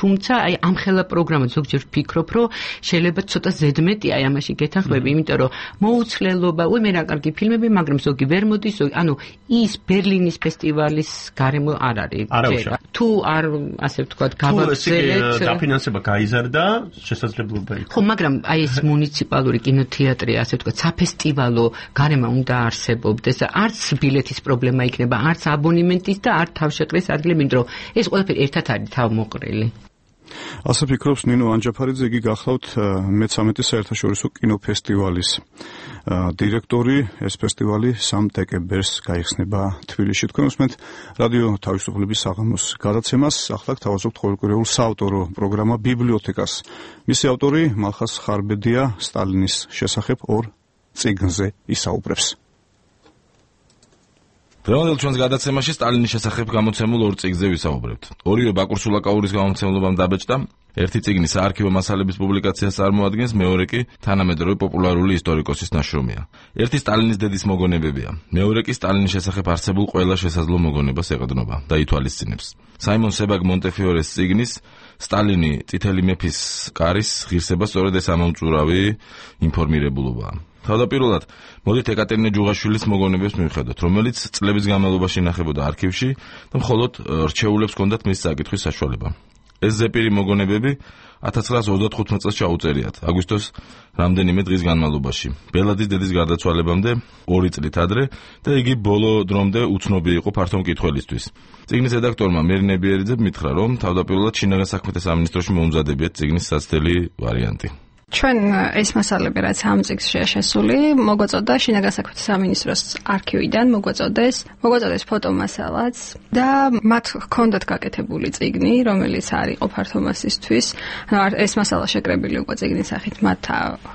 თუმცა აი ამ ხელა პროგრამა ზოგჯერ ვფიქრობ, რომ შეიძლება ცოტა ზედმეტი აი ამაში გეთანხმები, იმიტომ რომ მოუცლელობა, მე რა კარგი ფილმები, მაგრამ ზოგი ვერ მოდის, ანუ ის ბერლინის ფესტივალის გარემო არ არის. თუ არ ასე ვთქვათ გავაგზავნეთ დაფინანსება გაიზარდა შესაძლებლობა იყო. ხო, მაგრამ აი ეს მუნიციპალური კინოთეატრი ასე ვთქვათ საფესტივალო გარემო უნდა არსებობდეს. არც ბილეთის პრობლემა იქნება, არც აბონემენტის და არც თავშეყრის ადგილები, იმიტომ რომ ეს ყველაფერი ერთად არის თავმოყრილი. ასე ფიქრობს ნინო ანჯაფარიძე, იგი გახლავთ მე-13 საერთაშორისო კინოფესტივალის დირექტორი. ეს ფესტივალი 3 დეკემბერს გაიხსნება თბილისში. თქვენ უსმენთ რადიო თავისუფლების საღამოს გადაცემას. ახლა გთავაზობთ ყოველკვირეულ საავტორო პროგრამა ბიბლიოთეკას. მისი ავტორი მალხას ხარბედია სტალინის შესახებ 2 წიგნზე ისაუბრებს. დღევანდელ ჩვენს გადაცემაში სტალინის შესახებ გამოცემულ 2 წიგნზე ვისაუბრებთ. ორივე ბაკურ სულაკაურის გამომცემლობამ დაბეჭდა. ერთი წიგნი საარქივო მასალების პუბლიკაციას წარმოადგენს, მეორე კი თანამედროვე პოპულარული ისტორიკოსის ნაშრომია. ერთი სტალინის დედის მოგონებებია, მეორე კი სტალინის შესახებ არსებულ ყველა შესაძლო მოგონებას ეყრდნობა და ითვალისწინებს. საიმონ себაგ მონტეფიორეს წიგნის სტალინი წითელი მეფის კარის ღირსება სწორედ ეს ამომწურავი ინფორმირებულობაა. თავდაპირველად მოდით ეკატერინე ჯუღაშვილის მოგონებებს მივხედოთ, რომელიც წლების განმავლობაში ინახებოდა არქივში და მხოლოდ რჩეულებს ჰქონდათ მის საკითხვის საშუალება. ეს ზეპირი მოგონებები 1935 წელს ჩაუწერიათ, აგვისტოს რამდენიმე დღის განმავლობაში, ბელადის დედის გარდაცვალებამდე 2 წლით ადრე და იგი ბოლო დრომდე უცნობი იყო ფართო მკითხველისთვის. წიგნის რედაქტორმა მერინებიერიძემ მითხრა, რომ თავდაპირველად შინაგან საქმეთა სამინისტროში მოუმზადებიათ წიგნის საცდელი ვარიანტი. ჩვენ ეს მასალები რაც ამ წიგნშია შესული, მოგვაწოდა შინაგან საქმეთა სამინისტროს არქივიდან, მოგვაწოდეს ფოტომასალაც და მათ ჰქონდათ გაკეთებული წიგნი, რომელიც არ იყო ფართო მასისთვის. ეს მასალა შეკრებილი უკვე წიგნის სახით მათ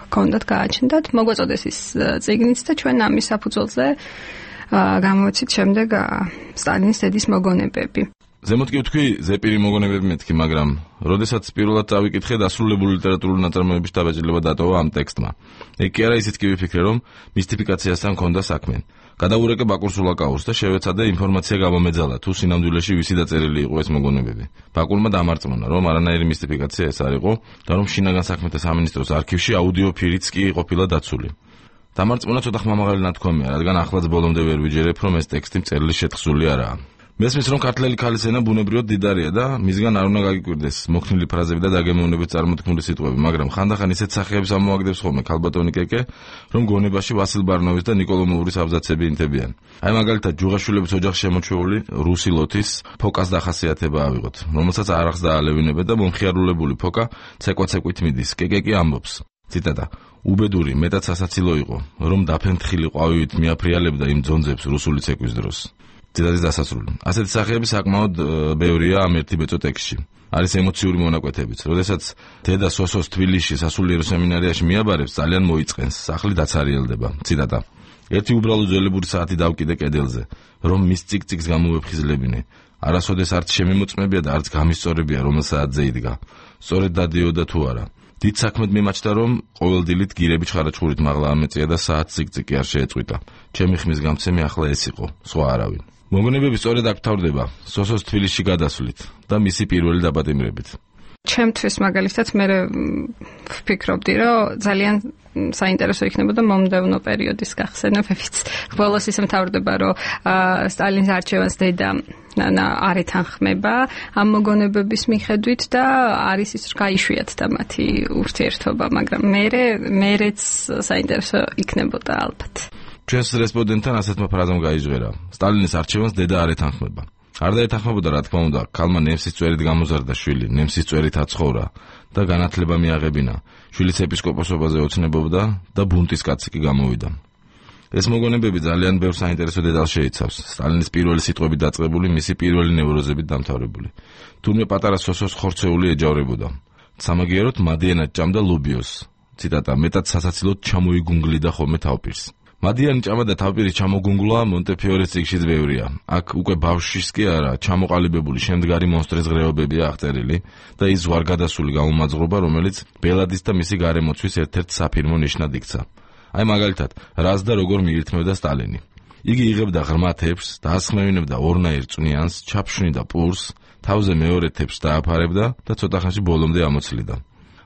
ჰქონდათ გააჩნდათ, მოგვაწოდეს ის წიგნიც და ჩვენ ამის საფუძველზე გამოვიცით შემდეგ სტალინის დედის მოგონებები. ზემოთ კი ვთქვი, ზეპირი მოგონებები მეთქი, მაგრამ როდესაც პირველად წავიკითხე, დასრულებული ლიტერატურული ნაწარმოების დაბეჭდილება დატოვა ამ ტექსტმა. ეგ კი არა, ისიც კი ვიფიქრე, რომ მისტიფიკაციასთან ჰქონდა საქმე. გადავურეკე ბაკურ სულაკაურს და შევეცადე ინფორმაცია გამომეძალა, თუ სინამდვილეში ვისი დაწერილი იყო ეს მოგონებები. ბაკურმა დამარწმუნა, რომ არანაირი მისტიფიკაცია ეს არ იყო და რომ შინაგან საქმეთა სამინისტროს არქივში აუდიო ფირიც კი ყოფილა დაცული. დამარწმუნა ცოტა ხმამაღალი ნათქვამია, რადგან ახლაც ბოლომდე ვერ ვიჯერებ, რომ ეს ტექსტი წერილში შეთხსული არაა. მესმის რომ ქართლელი ქალის ენა ბუნებრივად დიდარია და მისგან არ უნდა გაგიკვირდეს მოქნილი ფრაზები და დაგემოვნებით წარმოთქმული სიტყვები, მაგრამ ხანდახან ისეთ სახეებს ამოაგდებს ხოლმე ქალბატონი კეკე, რომ გონებაში ვასილ ბარნოვის და ნიკოლომოვრის აბზაცები ინთებიან. აი მაგალითად ჯუღაშვილების ოჯახში შემოჩეული რუსი ლოთის ფოკას დახასიათება ავიღოთ, რომელსაც არახს დაალევინებენ და მომხიარულებული ფოკა ცეკვაცეკვით მიდის. კეკე კი ამბობს. ციტატა: უბედური მეტად სასაცილო იყო, რომ დაფენთხილი ყვავივით მიაფრიალებდა იმ ძონძებს რუსული ცეკვის დროს. ციტატის დასასრული. ასეთი სახეები საკმაოდ ბევრია ამ ერთი ბეწო ტექსტში. არის ემოციური მონაკვეთებიც. როდესაც დედა სოსოს თბილისში სასულიერო სემინარიაში მიაბარებს, ძალიან მოიწყენს, სახლი დაცარიელდება. ციტატა: ერთი უბრალო ძველებური საათი დავკიდე კედელზე, რომ მის ციგ-ციგს გამოვეფხიზლებინე. არასოდეს არც შემიმოწმებია და არც გამისწორებია, რომელ საათზე იდგა. სწორედ დადიოდა თუ არა. დიდ საქმედ მიმაჩნდა, რომ ყოველ დილით გირები ჩხარაჩხურით მაღლა ამეწია და საათ ციგ-ციგი არ შეეწყვიტა. ჩემი ხმის გამცემი ახლა ეს იყო, სხვა არავინ. მოგონებები სწორედ აქ თავდება სოსოს თბილისში გადასვლით და მისი პირველი დაპატიმრებით. ჩემთვის მაგალითად მე ვფიქრობდი, რომ ძალიან საინტერესო იქნებოდა მომდევნო პერიოდის გახსენებებიც. ბოლოს ისე მთავრდება, რომ სტალინის არჩევანს დედა არ ეთანხმება ამ მოგონებების მიხედვით და არის ის რომ გაიშვიათდა მათი ურთიერთობა, მაგრამ მერეც საინტერესო იქნებოდა ალბათ. ჩვენს რესპონდენტთან ასეთმა ფრაზამ გაიჟღერა: სტალინის არჩევანს დედა არ ეთანხმება. არ დაეთანხმებოდა, რა თქმა უნდა, ქალმა ნემსის წვერით გამოზარდა შვილი, ნემსის წვერით აცხოვრა და განათლება მიაღებინა. შვილიც ეპისკოპოსობაზე ოცნებობდა და ბუნტის კაცი კი გამოვიდა. ეს მოგონებები ძალიან ბევრ საინტერესო დეტალს შეიცავს. სტალინის პირველი სიტყვები დაწყებული, მისი პირველი ნევროზებით დამთავრებული. თურმე პატარა სოსოს ხორცეული ეჯავრებოდა. სამაგიეროდ მადიანად ჭამდა ლობიოს. ციტატა: მეტად სასაცილოდ ჩამოიგუნგლიდა ხოლმე თავპირს. მადიანი ჭამა და თავპირის ჩამოგუნგლა მონტეფიორის წიგნშიც ბევრია. აქ უკვე ბავშვის კი არა, ჩამოყალიბებული შემდგარი მონსტრის ღრეობებია აღწერილი და ის ზვარგადასული გამომაძღვრობა, რომელიც ბელადის და მისი გარემოცვის ერთ-ერთ საფირმო ნიშნად იქცა. აი მაგალითად, რას და როგორ მიირთმევდა სტალინი. იგი იღებდა ღრმა თეფს, დაასხმევინებდა ორნაირ წვნიანს, ჩაფშვნიდა პურს, თავზე მეორე თეფს დააფარებდა და ცოტა ხანში ბოლომდე ამოცლიდა.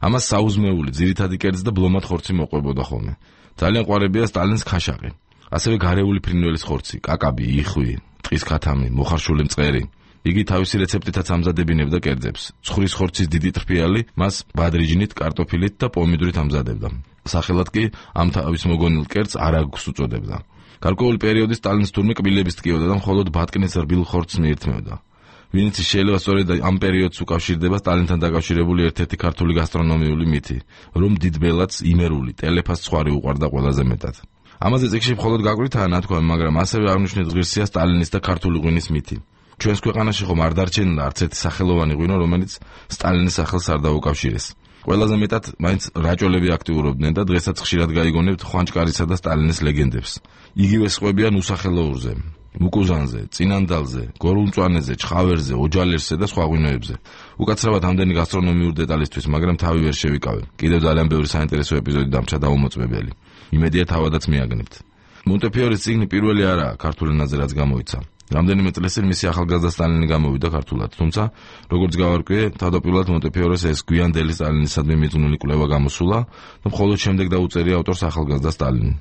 ამას საუზმეული, ძირითადი კერძ და ბლომად ხორცი მოყვებოდა ხოლმე. ძალიან ყვარებია სტალინს ქაშაყი. ასევე გარეული ფრინველის ხორცი, კაკაბი, იხვი, ტყის ქათამი, მოხარშული მწყერი. იგი თავისი რეცეპტითაც ამზადებინებდა კერძებს. ცხრის ხორცის დიდი ტრფიალი მას ბადრიჯნით, კარტოფილით და პომიდორით ამზადებდა. სახელად კი ამ თავის მოგონილ კერძს არაგს უწოდებდა. გარკვეული პერიოდი სტალინის თურმე კბილების ტკიოდა და მხოლოდ ბატკნის რბილ ხორცს მიირთმევდა. ვინც შეიძლება სწორედ ამ პერიოდს უკავშირდება სტალინთან დაკავშირებული ერთ-ერთი ქართული გასტრონომიული მითი, რომ დიდ ბელადს იმერული, ტელეფას ცხვარი უყვარდა ყველაზე მეტად. ამაზე წიგნში მხოლოდ გაკვირთაა ნათქვამი, მაგრამ ასევე აღნიშნეთ ღირსია სტალინის და ქართული ღვინის მითი. ჩვენს ქვეყანაში ხომ არ დარჩენილა არც ერთი სახელოვანი ღვინო, რომელიც სტალინის სახელს არ დაუკავშირეს. ყველაზე მეტად მაინც რაჭოლები აქტიურობდნენ და დღესაც ხშირად გაიგონებთ ხვანჭკარისა და სტალინის ლეგენდებს. იგივე სხვებიან უსახელოურზე, მუკუზანზე, წინანდალზე, გორულმწვანეზე, ჩხავერზე, ოჯალერსზე და სხვა ღვინოებზე. უკაცრავად ამდენი გასტრონომიური დეტალისთვის, მაგრამ თავი ვერ შევიკავებ. კიდევ ძალიან ბევრი საინტერესო ეპიზოდი დამრჩა დაუმოწმებელი. იმედია თავადაც მიაგნებთ. მონტეფიორის წიგნი პირველი არაა ქართულ ენაზე, რაც გამოიცა. რამდენიმე წლის წინ მისი ახალგაზრდა სტალინი გამოვიდა ქართულად, თუმცა როგორც გავარკვიე, თავდაპირველად მონტეფიორეს ეს გვიანდელი სტალინისადმი მიძღვნილი კვლევა გამოსულა და მხოლოდ შემდეგ დაუწერია ავტორს ახალგაზრდა სტალინი.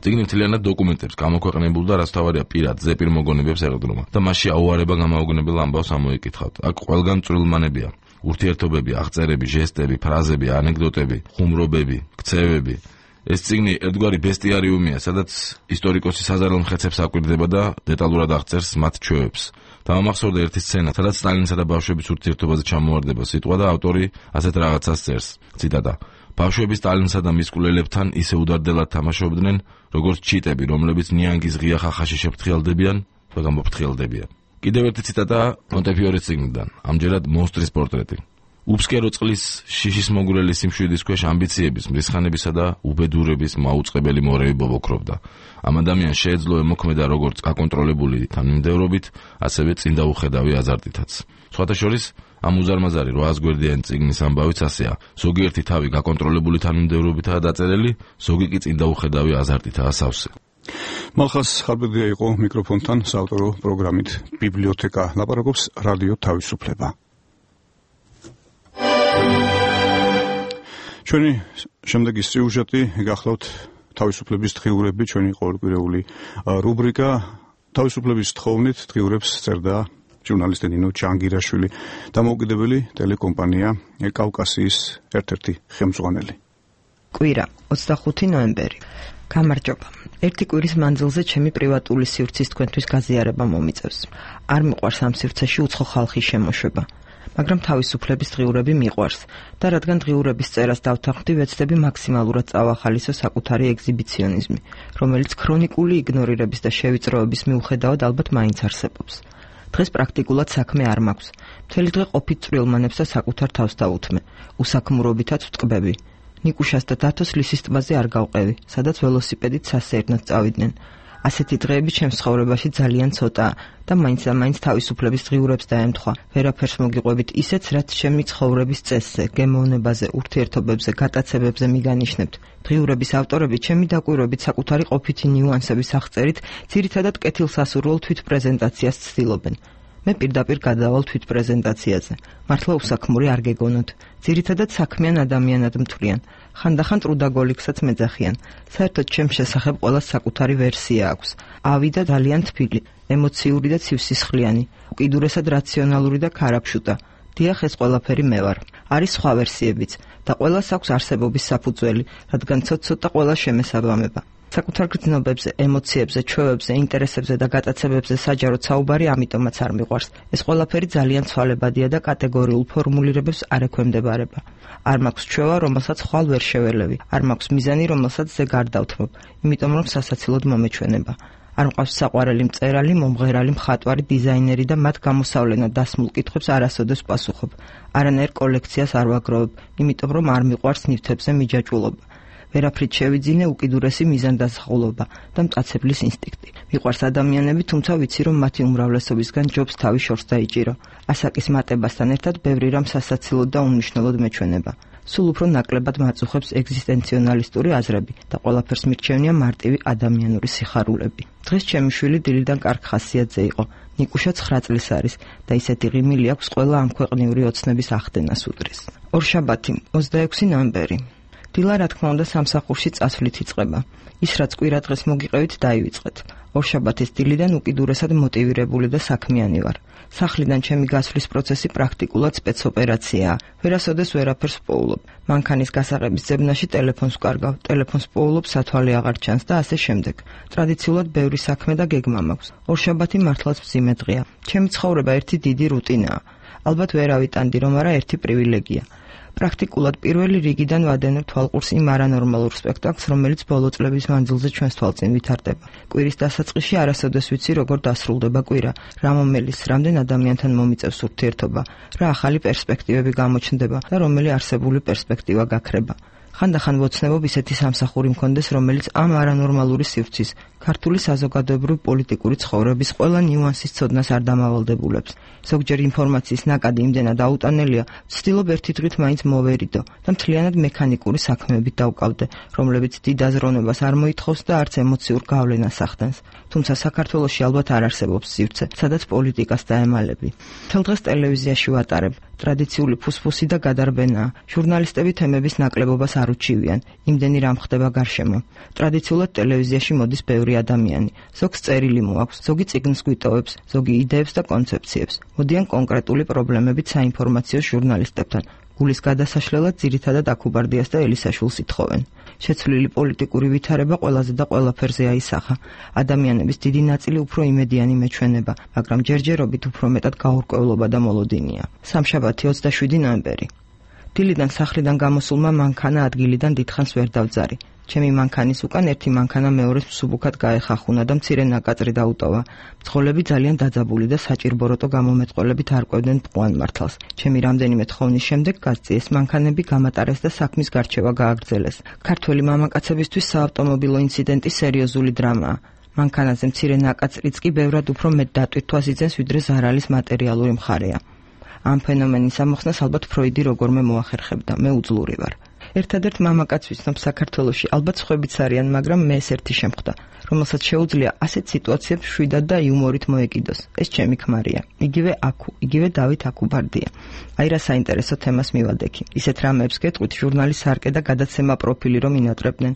წიგნი მთლიანად დოკუმენტებს გამოქვეყნებულ და რაც თავარია პირად ზეპირ მოგონებებს ეყრდნობა და მასში აუარება გამაოგნებელ ამბავს ამოიკითხავთ. აქ ყველგან წვრილმანებია, ურთიერთობები, აღწერები, ჟესტები, ფრაზები, ანეკდოტები, ხუმრობები, ქცევები. ეს წიგნი ერთგვარი ბესტიარიუმია, სადაც ისტორიკოსი საზარელ მხეცებს აკვირდება და დეტალურად აღწერს მათ ჩვევებს. დამახსოვრდა ერთი სცენა, სადაც სტალინსა და ბავშვების ურთიერთობაზე ჩამოვარდება სიტყვა და ავტორი ასეთ რაღაცას წერს. ციტატა: ბავშვები სტალინსა და მის კვლელებთან ისე უდარდელად თამაშობდნენ, როგორც ჩიტები, რომლებიც ნიანგის ღია ხახაში შეფრთხილდებიან და გამოფრთხილდებიან. კიდევ ერთი ციტატა მონტეფიორის წიგნიდან, ამჯერად მონსტრის პორტრეტი. უბსკერო წყლის შიშის მოგვრელი სიმშვიდის ქვეშ ამბიციების, მრისხანებისა და უბედურების მაუწყებელი მორევი ბობოქრობდა. ამ ადამიანს შეეძლო ემოქმედა როგორც აკონტროლებული თანმიმდევრობით, ასევე წინდაუხედავი აზარტითაც. სხვათა შორის, ამ უზარმაზარი 800 გვერდიანი წიგნის ამბავიც ასეა. ზოგიერთი თავი გაკონტროლებული თანმიმდევრობითაა დაწერილი, ზოგი კი წინდაუხედავი აზარტითაა სავსე. მალხას ხარბედია იყო მიკროფონთან საავტორო პროგრამით ბიბლიოთეკა ლაპარაკობს რადიო თავისუფლება. ჩვენი შემდეგი სიუჟეტი გახლავთ თავისუფლების დღიურები, ჩვენი ყოველკვირეული რუბრიკა თავისუფლების თხოვნით დღიურებს წერდა ჟურნალისტი ნინო ჩანგირაშვილი, დამოუკიდებელი ტელეკომპანია კავკასიის ერთ-ერთი ხელმძღვანელი. კვირა 25 ნოემბერი. გამარჯობა. ერთი კვირის მანძილზე ჩემი პრივატული სივრცის თქვენთვის გაზიარება მომიწევს. არ მიყვარს ამ სივრცეში უცხო ხალხის შემოშვება. მაგრამ თავისუფლების დღიურები მიყვარს და რადგან დღიურების წერას დავთანხმდი, ვეცდები მაქსიმალურად წავახალისო საკუთარი ეგზიბიციონიზმი, რომელიც ქრონიკული იგნორირების და შევიწროების მიუხედავად ალბათ მაინც არსებობს. დღეს პრაქტიკულად საქმე არ მაქვს. მთელი დღე ყოფით წვრილმანებს და საკუთარ თავს დავუთმე. უსაქმურობითაც ვტყბები. ნიკუშას და დათოს ლისის ტბაზე არ გავყევი, სადაც ველოსიპედით სასეირნოდ წავიდნენ. ასეთი დღეები ჩემს ცხოვრებაში ძალიან ცოტაა და მაინც და მაინც თავისუფლების დღიურებს დაემთხვა. ვერაფერს მოგიყვებით ისეც, რაც ჩემი ცხოვრების წესზე, გემოვნებაზე, ურთიერთობებზე, გატაცებებზე მიგანიშნებთ. დღიურების ავტორები ჩემი დაკვირვებით საკუთარი ყოფითი ნიუანსების აღწერით ძირითადად კეთილსასურველ თვითპრეზენტაციას ცდილობენ. მე პირდაპირ გადავალ თვითპრეზენტაციაზე. მართლა უსაქმური არ გეგონოთ. ძირითადად საქმიან ადამიანად მთვლიან. ხანდახან ტრუდაგოლიქსაც მეძახიან. საერთოდ ჩემს შესახებ ყველას საკუთარი ვერსია აქვს. ავი და ძალიან თბილი, ემოციური და ცივსისხლიანი, უკიდურესად რაციონალური და ქარაფშუტა. დიახ, ეს ყველაფერი მე ვარ. არის სხვა ვერსიებიც და ყველას აქვს არსებობის საფუძველი, რადგან ცოტ-ცოტა ყველა შემესაბამება. საკუთარ გრძნობებზე, ემოციებზე, ჩვევებზე, ინტერესებზე და გატაცებებზე საჯაროდ საუბარი ამიტომაც არ მიყვარს. ეს ყველაფერი ძალიან ცვალებადია და კატეგორიულ ფორმულირებებს არ ექვემდებარება. არ მაქვს ჩვევა, რომელსაც ხვალ ვერ შეველევი. არ მაქვს მიზანი, რომელსაც ზე გარდავთმობ, იმიტომ რომ სასაცილოდ მომეჩვენება. არ მყავს საყვარელი მწერალი, მომღერალი, მხატვარი, დიზაინერი და მათ გამოსავლენად დასმულ კითხვებს არასოდეს პასუხობ. არანაირ კოლექციას არ ვაგროვებ, იმიტომ რომ არ მიყვარს ნივთებზე მიჯაჭვულობა. ვერაფრით შევიძინე უკიდურესი მიზანდაზღაულობა და მტაცებლის ინსტინქტი. მიყვარს ადამიანები, თუმცა ვიცი, რომ მათი უმრავლესობისგან ჯობს თავი შორს დაიჭირო. ასაკის მატებასთან ერთად ბევრი რამ სასაცილოდ და უმნიშვნელოდ მეჩვენება. სულ უფრო ნაკლებად მაწუხებს ეგზისტენციონალისტური აზრები და ყველაფერს მირჩევნია მარტივი ადამიანური სიხარულები. დღეს ჩემი შვილი დილიდან კარგ ხასიათზე იყო. ნიკუშა 9 წლის არის და ისეთი ღიმილი აქვს, ყველა ამ ქვეყნიური ოცნების ახდენას უდრის. ორშაბათი, 26 ნოემბერი. დილა რა თქმა უნდა სამსახურში წასვლით იწყება. ის რაც კვირა დღეს მოგიყევით დაივიწყეთ. ორშაბათის დილიდან უკიდურესად მოტივირებული და საქმიანი ვარ. სახლიდან ჩემი გასვლის პროცესი პრაქტიკულად სპეცოპერაციაა. ვერასოდეს ვერაფერს პოულობ. მანქანის გასაღების ძებნაში ტელეფონს ვკარგავ, ტელეფონს პოულობ, სათვალე აღარ ჩანს და ასე შემდეგ. ტრადიციულად ბევრი საქმე და გეგმა მაქვს. ორშაბათი მართლაც მძიმე დღეა. ჩემი ცხოვრება ერთი დიდი რუტინაა. ალბათ ვერ ავიტანდი, რომ არა ერთი პრივილეგია. პრაქტიკულად პირველი რიგიდან ვადენებ თვალყურს იმ არანორმალურ სპექტაკლს, რომელიც ბოლო წლების მანძილზე ჩვენს თვალწინ ვითარდება. კვირის დასაწყისში არასოდეს ვიცი, როგორ დასრულდება კვირა, რა მომელის, რამდენ ადამიანთან მომიწევს ურთიერთობა, რა ახალი პერსპექტივები გამოჩნდება და რომელი არსებული პერსპექტივა გაქრება. ხანდახან ვოცნებობ ისეთი სამსახური მქონდეს, რომელიც ამ არანორმალური სივრცის, ქართული საზოგადოებრივი პოლიტიკური ცხოვრების ყველა ნიუანსის ცოდნას არ დამავალდებულებს. ზოგჯერ ინფორმაციის ნაკადი იმდენად აუტანელია, ვცდილობ ერთი დღით მაინც მოვერიდო და მთლიანად მექანიკური საქმეებით დავკავდე, რომლებიც დიდ აზროვნებას არ მოითხოვს და არც ემოციურ გავლენას ახდენს. თუმცა საქართველოში ალბათ არ არსებობს სივრცე, სადაც პოლიტიკას დაემალები. მთელ დღეს ტელევიზიაში ვატარებ. ტრადიციული ფუსფუსი და გადარბენაა. ჟურნალისტები თემების ნაკლებობას არ უჩივიან. იმდენი რამ ხდება გარშემო. ტრადიციულად ტელევიზიაში მოდის ბევრი ადამიანი. ზოგს წერილი მოაქვს, ზოგი წიგნს გვიტოვებს, ზოგი იდეებს და კონცეფციებს. მოდიან კონკრეტული პრობლემებით საინფორმაციო ჟურნალისტებთან. გულის გადასაშლელად ძირითადად აქუბარდიას და ელისაშვილს ითხოვენ. შეცვლილი პოლიტიკური ვითარება ყველაზე და ყველაფერზე აისახა. ადამიანების დიდი ნაწილი უფრო იმედიანი მეჩვენება, მაგრამ ჯერჯერობით უფრო მეტად გაურკვევლობა და მოლოდინია. სამშაბათი 27 ნოემბერი. დილიდან სახლიდან გამოსულმა მანქანა ადგილიდან დიდხანს ვერ დავძარი. ჩემი მანქანის უკან ერთი მანქანა მეორეს მსუბუქად გაეხახუნა და მცირე ნაკაწრი დაუტოვა. მძღოლები ძალიან დაძაბული და საჭირბოროტო გამომეტყველებით არკვევდნენ მწვან მართალს. ჩემი რამდენიმე თხოვნის შემდეგ გასწიეს მანქანები, გამატარეს და საქმის გარჩევა გააგრძელეს. ქართველი მამაკაცებისთვის საავტომობილო ინციდენტი სერიოზული დრამაა. მანქანაზე მცირე ნაკაწრიც კი ბევრად უფრო მეტ დატვირთვას იძენს, ვიდრე ზარალის მატერიალური მხარეა. ამ ფენომენის ამოხსნას ალბათ ფროიდი როგორმე მოახერხებდა, მე უძლური ვარ. ერთადერთ მამაკაც ვიცნობ საქართველოში, ალბათ სხვებიც არიან, მაგრამ მე ეს ერთი შემხვდა, რომელსაც შეუძლია ასეთ სიტუაციებს შვიდად და იუმორით მოეკიდოს. ეს ჩემი ქმარია. იგივე დავით აქუბარდია. აი რა საინტერესო თემას მივადექი. ისეთ რამეებს გეტყვით, ჟურნალის სარკე და გადაცემა პროფილი რომ ინატრებდნენ.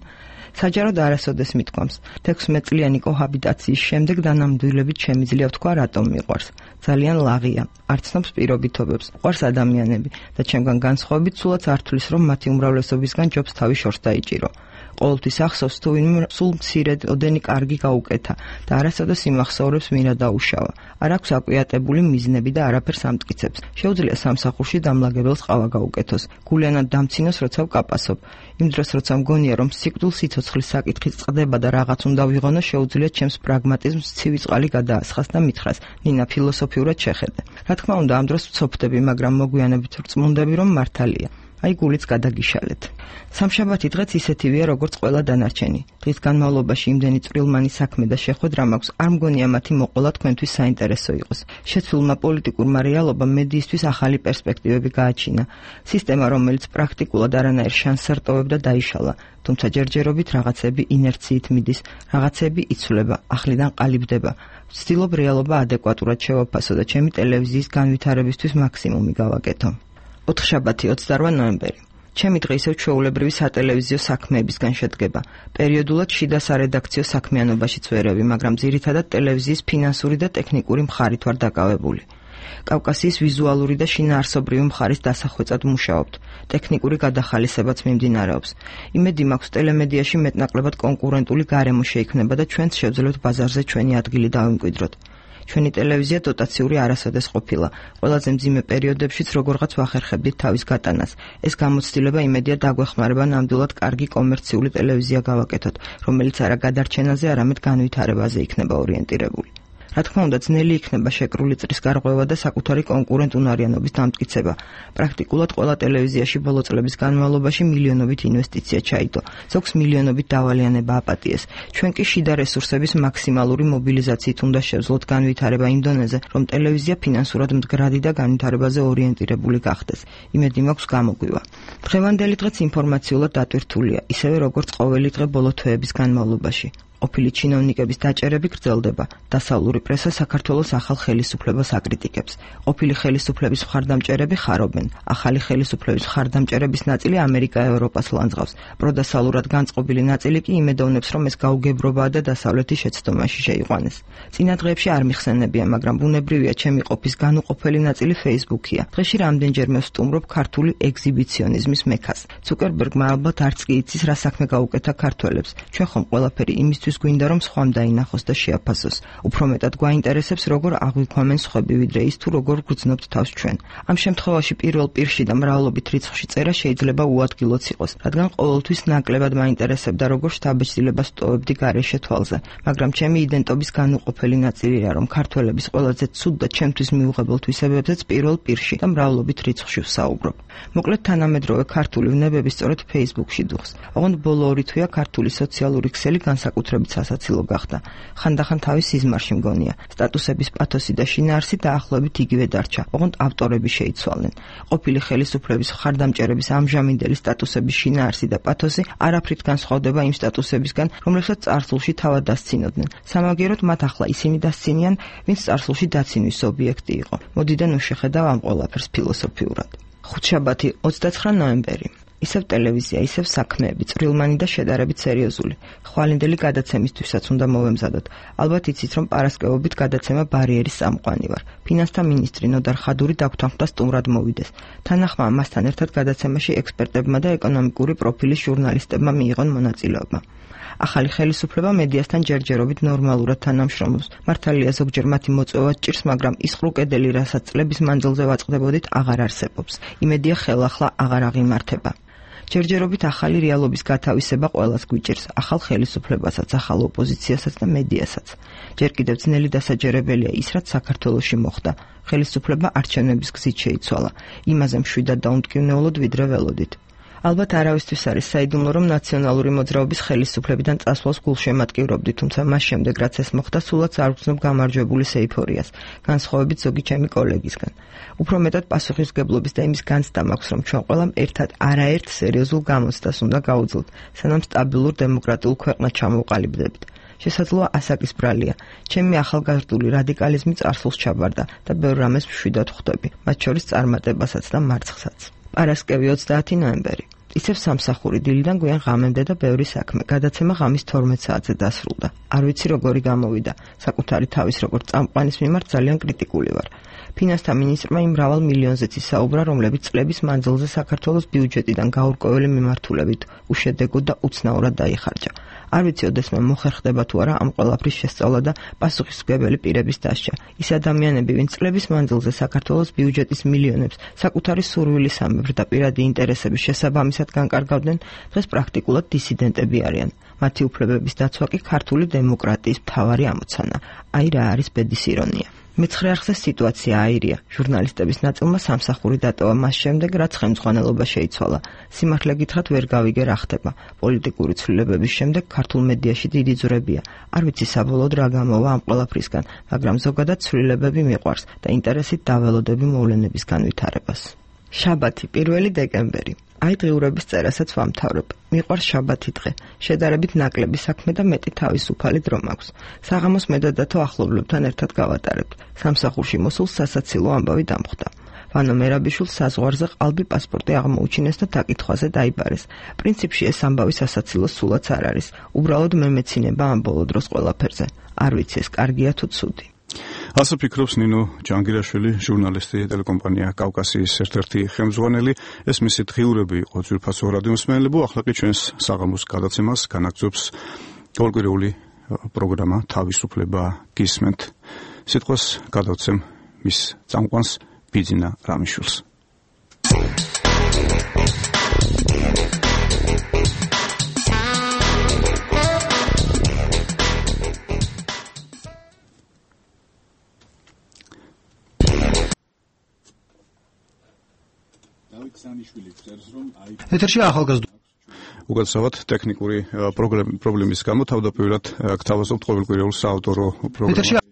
საჯაროდ არასოდეს მithქვამს. 16 წლიანი კოჰაბიტაციის შემდეგ დანამდვილებით შემიძლია ვთქვა, რატომ მიყვარს. ძალიან ლაღია, არ ცნობს პირობითობებს, ყვარს ადამიანები და ჩემგან განსხვავებით სულაც არ თვლის, რომ მათი უმრავლესობისგან ჯობს თავი შორს დაიჭირო. ყოველთვის ახსოვს, თუ ვინმე სულ მცირედ ოდენი კარგი გაუკეთა და არასოდეს იმახსოვრებს მინდა დაუშავა. არ აქვს აკვიატებული მიზნები და არაფერს ამტკიცებს. შეუძლია სამსახურში დამლაგებელს ყავა გაუკეთოს, გულიანად დამცინოს, როცა ვკაპასობ. იმ დროს, როცა მგონია, რომ სიკვდილ სიცოცხლის საკითხი წყდება და რაღაც უნდა ვიღონო, შეუძლია ჩემს პრაგმატიზმს ცივი წყალი გადაასხას და მითხრას, ნინა ფილოსოფიურად შეხედე. რა თქმა უნდა, ამ დროს ვცოფდები, მაგრამ მოგვიანებით ვწმუნდები, რომ მართალია. აი გულიც გადაგიშალეთ. სამშაბათი დღეც ისეთივეა, როგორც ყველა დანარჩენი. დღის განმავლობაში იმდენი წვრილმანი საქმე და შეხვედრა მაქვს, არ მგონია მათი მოყოლა თქვენთვის საინტერესო იყოს. შეცვლილმა პოლიტიკურმა რეალობამ მედიისთვის ახალი პერსპექტივები გააჩინა. სისტემა, რომელიც პრაქტიკულად არანაირ შანსს არტოვებდა, დაიშალა. თუმცა ჯერჯერობით რაღაცები ინერციით მიდის, რაღაცები იცვლება, ახლიდან ყალიბდება. ვცდილობ რეალობა ადეკვატურად შევაფასო და ჩემი ტელევიზიის განვითარებისთვის მაქსიმუმი გავაკეთო. ოთხშაბათი 28 ნოემბერი. ჩემი დღე ისევ ჩვეულებრივი სატელევიზიო საქმეებისგან შედგება. პერიოდულად შიდა სარედაქციო საქმიანობაშიც ვერევი, მაგრამ ძირითადად ტელევიზიის ფინანსური და ტექნიკური მხარით ვარ დაკავებული. კავკასიის ვიზუალური და შინაარსობრივი მხარის დასახვეწად მუშაობთ. ტექნიკური გადახალისებაც მიმდინარეობს. იმედი მაქვს ტელემედიაში მეტნაკლებად კონკურენტული გარემო შეიქმნება და ჩვენც შევძლებთ ბაზარზე ჩვენი ადგილი დავიმკვიდროთ. ჩვენი ტელევიზია დოტაციური არასოდეს ყოფილა. ყველაზე მძიმე პერიოდებშიც როგორღაც ვახერხებდით თავის გატანას. ეს გამოცდილება იმედია დაგვეხმარება ნამდვილად კარგი კომერციული ტელევიზია გავაკეთოთ, რომელიც არა გადარჩენაზე, არამედ განვითარებაზე იქნება ორიენტირებული. რა თქმა უნდა, ძნელი იქნება შეკრული წრის გარღვევა და საკუთარი კონკურენტუნარიანობის დამტკიცება. პრაქტიკულად ყველა ტელევიზიაში ბოლო წლების განმავლობაში მილიონობით ინვესტიცია ჩაიდო. ზოგს მილიონობით დავალიანება აპატიეს. ჩვენ კი შიდა რესურსების მაქსიმალური მობილიზაციით უნდა შევძლოთ განვითარება იმ დონეზე, რომ ტელევიზია ფინანსურად მდგრადი და განვითარებაზე ორიენტირებული გახდეს. იმედი მაქვს გამოგვივა. დღევანდელი დღეც ინფორმაციულად დატვირთულია, ისევე როგორც ყოველი დღე ბოლო თვეების განმავლობაში. ყოფილი ჩინოვნიკების დაჭერები გრძელდება. დასავლური პრესა საქართველოს ახალ ხელისუფლებას აკრიტიკებს. ყოფილი ხელისუფლების მხარდამჭერები ხარობენ. ახალი ხელისუფლების მხარდამჭერების ნაწილი ამერიკა-ევროპას ლანძღავს. პროდასალურად განწყობილი ნაწილი კი იმედოვნებს, რომ ეს გაუგებრობაა და დასავლეთის შეცდომაში შეიყვანეს. წინა დღეებში არ მიხსენებია, მაგრამ ბუნებრივია ჩემი ყოფის განუყოფელი ნაწილი Facebook-ია. დღეში რამდენჯერმე ვსტუმრობ ქართული ეგზიბიციონიზმის მექას. ცუკერბერგმა ალბათ არც კი იცის, რა საქმე გაუკეთა ქართველებს. ჩვენ ხომ ყველაფერი იმის გვინდა რომ სხვამ დაინახოს და შეაფასოს. უფრო მეტად გვაინტერესებს როგორ აღვიქვამენ სხვები ვიდრე ის თუ როგორ გვგრძნობთ თავს ჩვენ. ამ შემთხვევაში პირველ პირში და მრავლობით რიცხვში წერა შეიძლება უადგილოც იყოს, რადგან ყოველთვის ნაკლებად მაინტერესებდა როგორ შთაბეჭდილებას ტოვებდი გარეშე თვალზე. მაგრამ ჩემი იდენტობის განუყოფელი ნაწილია, რომ ქართველების ყველაზე ცუდ და ჩემთვის მიუღებელ თვისებებზეც პირველ პირში და მრავლობით რიცხვში ვსაუბრობ. მოკლედ თანამედროვე ქართული ვნებები სწორედ Facebook-ში დუხს. ოღონდ ბოლო 2 თვეა ქართული სოციალური ქსელი განსაკუთრებით სასაცილო გახდა. ხანდახან თავის სიზმარში მგონია. სტატუსების პათოსი და შინაარსი დაახლოებით იგივე დარჩა. ოღონდ ავტორები შეიცვალნენ. ყოფილი ხელისუფლების მხარდამჭერების ამჟამინდელი სტატუსების შინაარსი და პათოსი არაფრით განსხვავდება იმ სტატუსებისგან, რომლებსაც წარსულში თავად დასცინოდნენ. სამაგიეროდ მათ ახლა ისინი დასცინიან, ვინც წარსულში დაცინვის ობიექტი იყო. მოდიდან შეხედავ ამ ყველაფერს ფილოსოფიურად. ხუთშაბათი 29 ნოემბერი. ისევ ტელევიზია, ისევ საქმეები, წვრილმანი და შედარებით სერიოზული. ხვალინდელი გადაცემისთვისაც უნდა მოვემზადოთ. ალბათ იცით, რომ პარასკევობით გადაცემა ბარიერის წამყვანი ვარ. ფინანსთა მინისტრი ნოდარ ხადური დაგვთანხმდა სტუმრად მოვიდეს. თანახმა მასთან ერთად გადაცემაში ექსპერტებმა და ეკონომიკური პროფილის ჟურნალისტებმა მიიღონ მონაწილეობა. ახალი ხელისუფლება მედიასთან ჯერჯერობით ნორმალურად თანამშრომლობს. მართალია ზოგჯერ მათი მოწვევა ჭირს, მაგრამ ის ყრუკედელი, რასაც წლების მანძილზე ვაწყდებოდით, აღარ არსებობს. იმედია ხელახლა აღარ აღიმართება. ჯერჯერობით ახალი რეალობის გათავისება ყველას გვიჭირს, ახალ ხელისუფლებასაც, ახალ ოპოზიციასაც და მედიასაც. ჯერ კიდევ ძნელი დასაჯერებელია ის, რაც საქართველოში მოხდა. ხელისუფლება არჩევნების გზით შეიცვალა. იმაზე მშვიდად და უმტკივნეულოდ ვიდრე ველოდით. ალბათ არავისთვის არის საიდუმლო, რომ ნაციონალური მოძრაობის ხელისუფლებიდან წასვლას გულშემატკივრობდი, თუმცა მას შემდეგ, რაც ეს მოხდა, სულაც არ ვგრძნობ გამარჯვებულის ეიფორიას, განსხვავებით ზოგი ჩემი კოლეგისგან. უფრო მეტად პასუხისმგებლობის და იმის განცდა მაქვს, რომ ჩვენ ყველამ ერთად არაერთ სერიოზულ გამოცდას უნდა გავუძლოთ, სანამ სტაბილურ დემოკრატიულ ქვეყნად ჩამოვყალიბდებით. შესაძლოა ასაკის ბრალია. ჩემი ახალგაზრდული რადიკალიზმი წარსულს ჩაბარდა და ბევრ რამეს მშვიდად ხვდები, მათ შორის წარმატებასაც და მარცხსაც. პარასკევი 30 ნოემბერი. ისევ სამსახური დილიდან გვიან ღამემდე და ბევრი საქმე. გადაცემა ღამის 12 საათზე დასრულდა. არ ვიცი როგორი გამოვიდა. საკუთარი თავის როგორც წამყვანის მიმართ ძალიან კრიტიკული ვარ. ფინანსთა მინისტრმა იმ მრავალ მილიონზეც ისაუბრა, რომლებიც წლების მანძილზე საქართველოს ბიუჯეტიდან გაურკვეველი მიმართულებით უშედეგოდ და უცნაურად დაიხარჯა. არ ვიცი, ოდესმე მოხერხდება თუ არა ამ ყველაფრის შესწავლა და პასუხისმგებელი პირების დასჯა. ის ადამიანები, ვინც წლების მანძილზე საქართველოს ბიუჯეტის მილიონებს საკუთარი სურვილისამებრ და პირადი ინტერესების შესაბამისად განკარგავდნენ, დღეს პრაქტიკულად დისიდენტები არიან. მათი უფლებების დაცვა კი ქართული დემოკრატიის მთავარი ამოცანა. აი რა არის ბედის ირონია. მეცხრე არხზე სიტუაცია აირია. ჟურნალისტების ნაწილმა სამსახური დატოვა მას შემდეგ, რაც ხელმძღვანელობა შეიცვალა. სიმართლე გითხრათ, ვერ გავიგე რა ხდება. პოლიტიკური ცვლილებების შემდეგ ქართულ მედიაში დიდი ძვრებია. არ ვიცი საბოლოოდ რა გამოვა ამ ყველაფრისგან, მაგრამ ზოგადად ცვლილებები მიყვარს და ინტერესით დაველოდები მოვლენების განვითარებას. შაბათი 1 დეკემბერი. აი დღიურების წერასაც ვამთავრებ. მიყვარს შაბათი დღე. შედარებით ნაკლები საქმე და მეტი თავისუფალი დრო მაქვს. საღამოს მედადათო ახლობლებთან ერთად გავატარებთ. სამსახურში მოსულ სასაცილო ამბავი დამხვდა. ვანო მერაბიშვილს საზღვარზე ყალბი პასპორტი აღმოუჩინეს და დაკითხვაზე დაიბარეს. პრინციპში ეს ამბავი სასაცილო სულაც არ არის. უბრალოდ მემეცინება ამ ბოლო დროს ყველაფერზე. არ ვიცი ეს კარგია თუ ცუდი. ასე ფიქრობს ნინო ჯანგირაშვილი, ჟურნალისტი, ტელეკომპანია კავკასიის ერთ-ერთი ხელმძღვანელი. ეს მისი დღიურები იყო ძვირფასო რადიო მსმენელებო, ახლა კი ჩვენს საღამოს გადაცემას განაგრძობს ორკვირეული პროგრამა თავისუფლება გისმენთ. სიტყვას გადავცემ მის წამყვანს ბიძინა რამიშვილს. ეთერში ახალგაზრდა უკაცრავად ტექნიკური პრობლემის გამო თავდაპირველად გთავაზობთ ყოველკვირეულ საავტორო პროგრამას.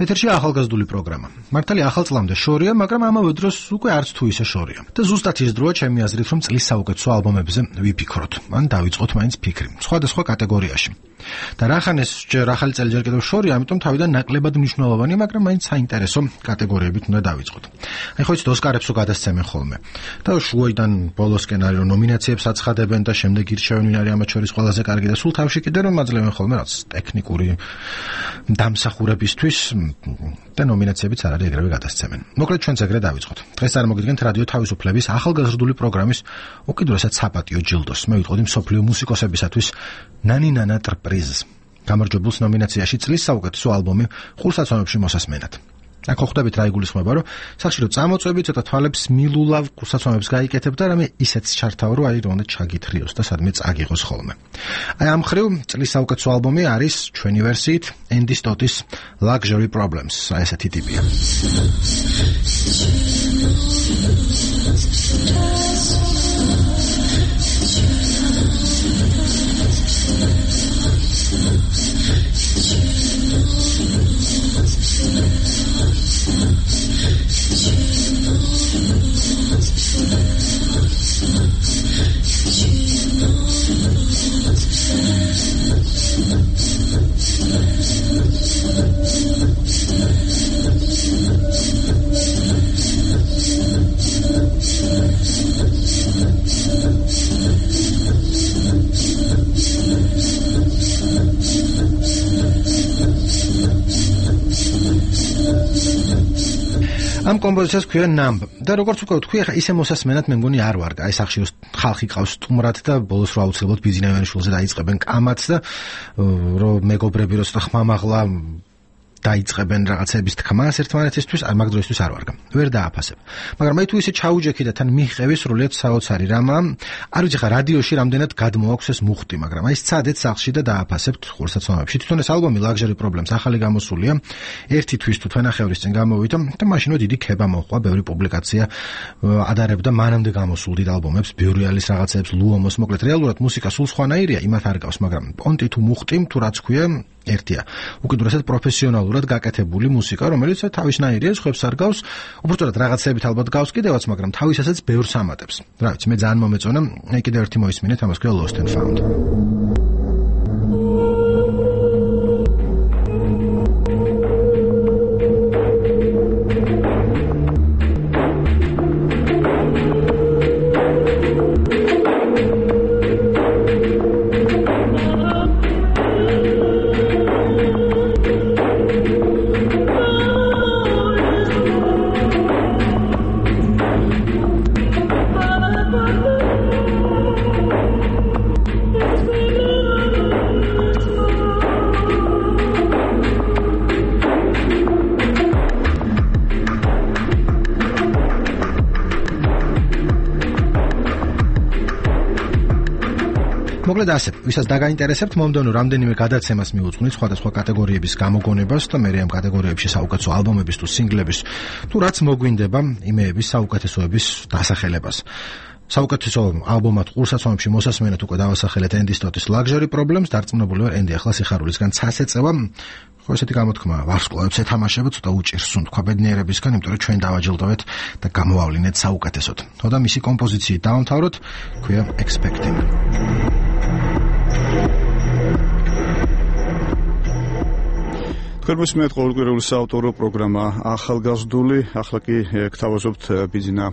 ეთერში ახალგაზრდული პროგრამა. მართალი ახალ წლამდე შორია, მაგრამ ამავე დროს უკვე არც თუ ისე შორია. და ზუსტად ის დროა ჩემი აზრით, რომ წლის საუკეთესო ალბომებზე ვიფიქროთ. ან დავიწყოთ მაინც ფიქრი სხვადასხვა კატეგორიაში. და რახანეს ჯერ ახალი წელი ჯერ კიდევ შორია, ამიტომ თავიდან ნაკლებად მნიშვნელოვანი, მაგრამ მაინც საინტერესო კატეგორიებით უნდა დავიწყოთ. აი ხო იცით ოსკარებსო გადასცემენ ხოლმე. და შუაიდან ბოლოსკენ არის რომ ნომინაციებს აცხადებენ და შემდეგ ირჩევენ ვინ არის ამათ შორის ყველაზე კარგი და სულ თავში კიდე რომ აძლევენ ხოლმე რაც ტექნიკური დამსახურებისთვის და ნომინაციებიც არ არის ეგრევე გადასცემენ. მოკლედ ჩვენც ეგრე დავიწყოთ. დღეს წარმოგიდგენთ რადიო თავისუფლების ახალგაზრდული პროგრამის უკიდურესად საპატიო ჯილდოს. მე ვიტყოდი მსოფლიო მუსიკოსებისათვის ნანინანა პრიზს. გამარჯვებულს ნომინაციაში წლის საუკეთესო ალბომი ხურსაცმელებში მოსასმენად. აქ ხვდებით რა იგულისხმება, რომ სახში რომ წამოწვევი ცოტა თვალებს მილულავ ხურსაცმელებს გაიკეთებ და რამე ისეც ჩართავ, რომ აი რომ ჩაგითრიოს და სადმე წაგიღოს ხოლმე. აი ამ ხრივ წლის საუკეთესო ალბომი არის ჩვენი ვერსიით Andy Stottis Luxury Problems. აი ესეთი ტიპია. ამ კომპოზიციას ქვია Numb და როგორც უკვე ვთქვი, ახლა ისე მოსასმენად მე მგონი არ ვარ. აი სახში ხალხი ყავს სტუმრად და ბოლოს რა აუცილებლად ბიძინა ივანიშვილზე დაიწყებენ კამათს და რომ მეგობრები რო ცოტა ხმამაღლა დაიწყებენ რაღაცების თქმას ერთმანეთისთვის, არ მაგ დროისთვის არ ვარგა. ვერ დააფასებ. მაგრამ მე თუ ისე ჩაუჯექი და თან მიხევი სრულიად საოცარი რამა, არ ვიცი ხა რადიოში რამდენად გადმოაქვს ეს მუხტი, მაგრამ აი სცადეთ სახლში და დააფასებთ ხურსაცმელებში. თვითონ ეს ალბომი Luxury Problems ახალი გამოსულია. ერთი თვის თუ თვენახევრის წინ გამოვიდა და მაშინო დიდი ქება მოხდა, ბევრი პუბლიკაცია ადარებდა მანამდე გამოსულ დიდ ალბომებს, ბიურიალის რაღაცებს, ლუომოს, მოკლედ რეალურად მუსიკა სულ სხვანაირია, იმათ არ გავს, მაგრამ პონტი თუ მუხტი თუ რაც ქვია ერთია. უკიდურესად პროფესიონალურად გაკეთებული მუსიკა, რომელიც თავისნაირია, ხებს არ გავს, უბრალოდ რაღაცებით ალბათ გავს კიდევაც, მაგრამ თავისასაც ბევრს ამატებს. რა ვიცი, მე ძალიან მომეწონა, აი კიდევ ერთი მოისმინეთ, ამას ქვია Lost and Found. მოკლედ ასე, ვისაც დაგაინტერესებთ, მომდევნო რამდენიმე გადაცემას მივუძღვნით სხვადასხვა კატეგორიების გამოგონებას და მე ამ კატეგორიებში საუკეთესო ალბომების თუ სინგლების თუ რაც მოგვინდება, იმეების საუკეთესოების დასახელებას. საუკეთესო ალბომად ყურსაცმელებში მოსასმენად უკვე დავასახელეთ Andy Stottis Luxury Problems, დარწმუნებული ვარ Andy ახლა სიხარულისგან ცას ეწევა. ხო ესეთი გამოთქმა ვარსკვლავებს ეთამაშება, ცოტა უჭირს თქვა ბედნიერებისგან, იმიტომ რომ ჩვენ დავაჯილდოვეთ და გამოვავლინეთ საუკეთესოდ. ხო და მისი კომპოზიციით დავამთავროთ, ქვია Expecting. თქვენმესმეეთ ყოველკვირეული საავტორო პროგრამა ახალგაზრდული, ახლა კი გთავაზობთ ბიძინა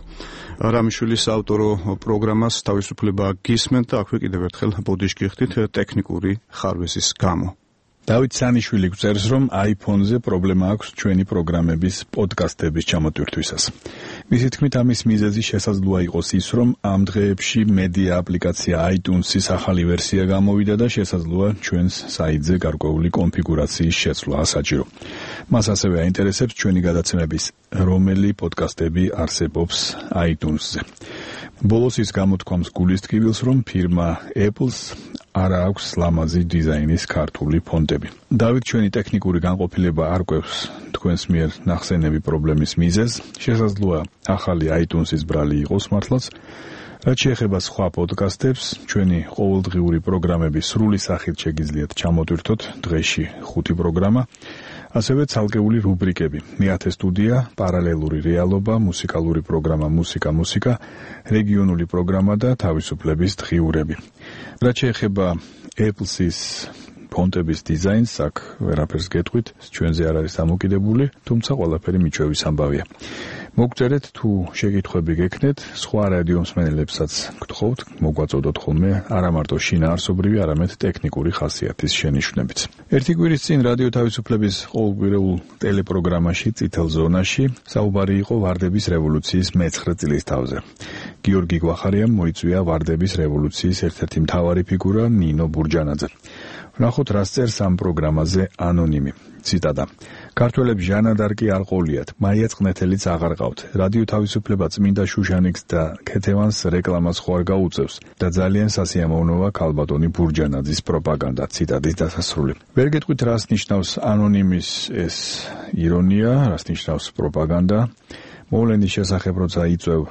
რამიშვილის საავტორო პროგრამას თავისუფლება გისმენთ და აქვე კიდევ ერთხელ ბოდიშ გიხდით ტექნიკური ხარვეზის გამო. დავით სანიშვილი გვწერს, რომ iPhone-ზე პრობლემა აქვს ჩვენი პროგრამების პოდკასტების ჩამოტვირთვისას. მისი თქმით, ამის მიზეზი შესაძლოა იყოს ის, რომ ამ დღეებში მედია აპლიკაცია iTunes-ის ახალი ვერსია გამოვიდა და შესაძლოა ჩვენს საიტზე გარკვეული კონფიგურაციის შეცვლა ასაჭირო. მას ასევე აინტერესებს ჩვენი გადაცემების რომელი პოდკასტები არსებობს iTunes-ზე. ბოლოს ის გამოთქვამს გულის ტკივილს, რომ ფირმა Apple-ს არ აქვს ლამაზი დიზაინის ქართული ფონტები. დავით, ჩვენი ტექნიკური განყოფილება არ კვევს თქვენს მიერ ნახსენები პრობლემის მიზეზს. შესაძლოა ახალი iTunes-ის ბრალი იყოს მართლაც. რაც შეეხება სხვა პოდკასტებს, ჩვენი ყოველდღიური პროგრამები სრული სახით შეგიძლიათ ჩამოტვირთოთ დღეში 5 პროგრამა. ასევე ცალკეული რუბრიკები: მეათე სტუდია, პარალელური რეალობა, მუსიკალური პროგრამა მუსიკა, რეგიონული პროგრამა და თავისუფლების დღიურები. რაც შეეხება Apple-ის ფონტების დიზაინს, აქ ვერაფერს გეტყვით, ჩვენზე არ არის დამოკიდებული, თუმცა ყველაფერი მიჩვევის ამბავია. მოგწერეთ თუ შეკითხვები გექნეთ, სხვა რადიო მსმენელებსაც გთხოვთ, მოგვაწოდოთ ხოლმე არა მარტო შინაარსობრივი, არამედ ტექნიკური ხასიათის შენიშვნებიც. ერთი კვირის წინ რადიო თავისუფლების ყოველკვირეულ ტელეპროგრამაში წითელ ზონაში საუბარი იყო ვარდების რევოლუციის მე-9 წლისთავზე. გიორგი გვახარიამ მოიწვია ვარდების რევოლუციის ერთ-ერთი მთავარი ფიგურა ნინო ბურჯანაძე. ვნახოთ, რას წერს ამ პროგრამაზე ანონიმი. ციტატა: ქართველებს ჟანადარკი არ ყოლიათ, მაია წყნეთელიც აღარ ყავთ. რადიო თავისუფლება წმინდა შუშანიკს და ქეთევანს რეკლამას ხო არ გაუწევს და ძალიან სასიამოვნოა ქალბატონი ბურჯანაძის პროპაგანდა. ციტატის დასასრული. ვერ გეტყვით, რას ნიშნავს ანონიმის ეს ირონია, რას ნიშნავს პროპაგანდა. მოვლენის შესახებ როცა იწევ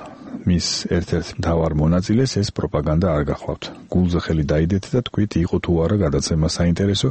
მის ერთ-ერთ მთავარ მონაწილეს, ეს პროპაგანდა არ გახლავთ. გულზე ხელი დაიდეთ და თქვით, იყო თუ არა გადაცემა საინტერესო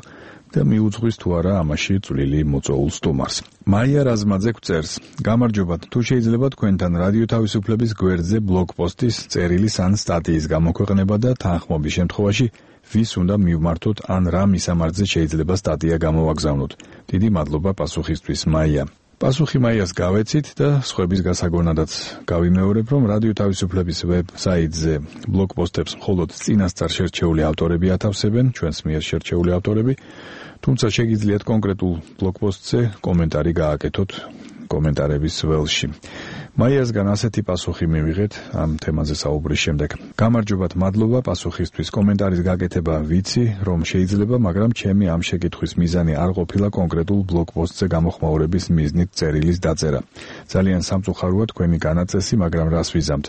და მიუძღვის თუ არა ამაში წვლილი მოწოულ სტუმარს. მაია რაზმაძე გვწერს: გამარჯობათ, თუ შეიძლება თქვენთან რადიო თავისუფლების გვერდზე ბლოგპოსტის, წერილის ან სტატიის გამოქვეყნება და თანხმობის შემთხვევაში ვის უნდა მივმართოთ ან რა მისამართზე შეიძლება სტატია გამოვაგზავნოთ. დიდი მადლობა პასუხისთვის, მაია. პასუხი მაიას გავეცით და სხვების გასაგონადაც გავიმეორებ, რომ რადიო თავისუფლების ვებსაიტზე ბლოგპოსტებს მხოლოდ წინასწარ შერჩეული ავტორები ათავსებენ, ჩვენს მიერ შერჩეული ავტორები, თუმცა შეგიძლიათ კონკრეტულ ბლოგპოსტზე კომენტარი გააკეთოთ კომენტარების ველში. მაიასგან ასეთი პასუხი მივიღეთ ამ თემაზე საუბრის შემდეგ. გამარჯობათ, მადლობა პასუხისთვის. კომენტარის გაკეთება ვიცი, რომ შეიძლება, მაგრამ ჩემი ამ შეკითხვის მიზანი არ ყოფილა კონკრეტულ ბლოგპოსტზე გამოხმაურების მიზნით წერილის დაწერა. ძალიან სამწუხაროა თქვენი განაწესი, მაგრამ რას ვიზამთ?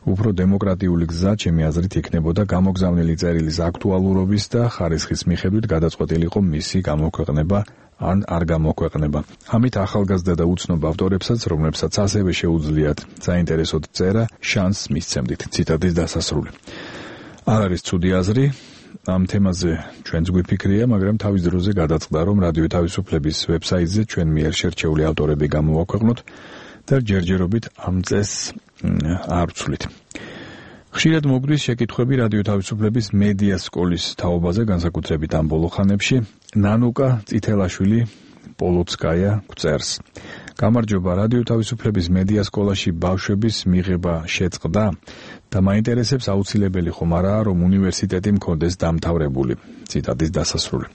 უფრო დემოკრატიული გზა, ჩემი აზრით, იქნებოდა გამოგზავნილი წერილის აქტუალურობის და ხარისხის მიხედვით გადაწყვეტილიყო მისი გამოქვეყნება ან არ გამოქვეყნება. ამით ახალგაზრდა და უცნობ ავტორებსაც, რომლებსაც ასევე შეუძლიათ საინტერესოდ წერა, შანსს მისცემდით. ციტატის დასასრული. არ არის ცუდი აზრი, ამ თემაზე ჩვენც გვიფიქრია, მაგრამ თავის დროზე გადაწყდა, რომ რადიო თავისუფლების ვებსაიტზე ჩვენ მიერ შერჩეული ავტორები გამოვაქვეყნოთ და ჯერჯერობით ამ წესს არ ვცვლით. ხშირად მოგვდის შეკითხვები რადიო თავისუფლების მედია სკოლის თაობაზე, განსაკუთრებით ამ ბოლო ხანებში. ნანუკა წითელაშვილი პოლოცკაია გვწერს: გამარჯობა, რადიო თავისუფლების მედია სკოლაში ბავშვების მიღება შეწყდა და მაინტერესებს, აუცილებელი ხომ არაა, რომ უნივერსიტეტი მქონდეს დამთავრებული. ციტატის დასასრული.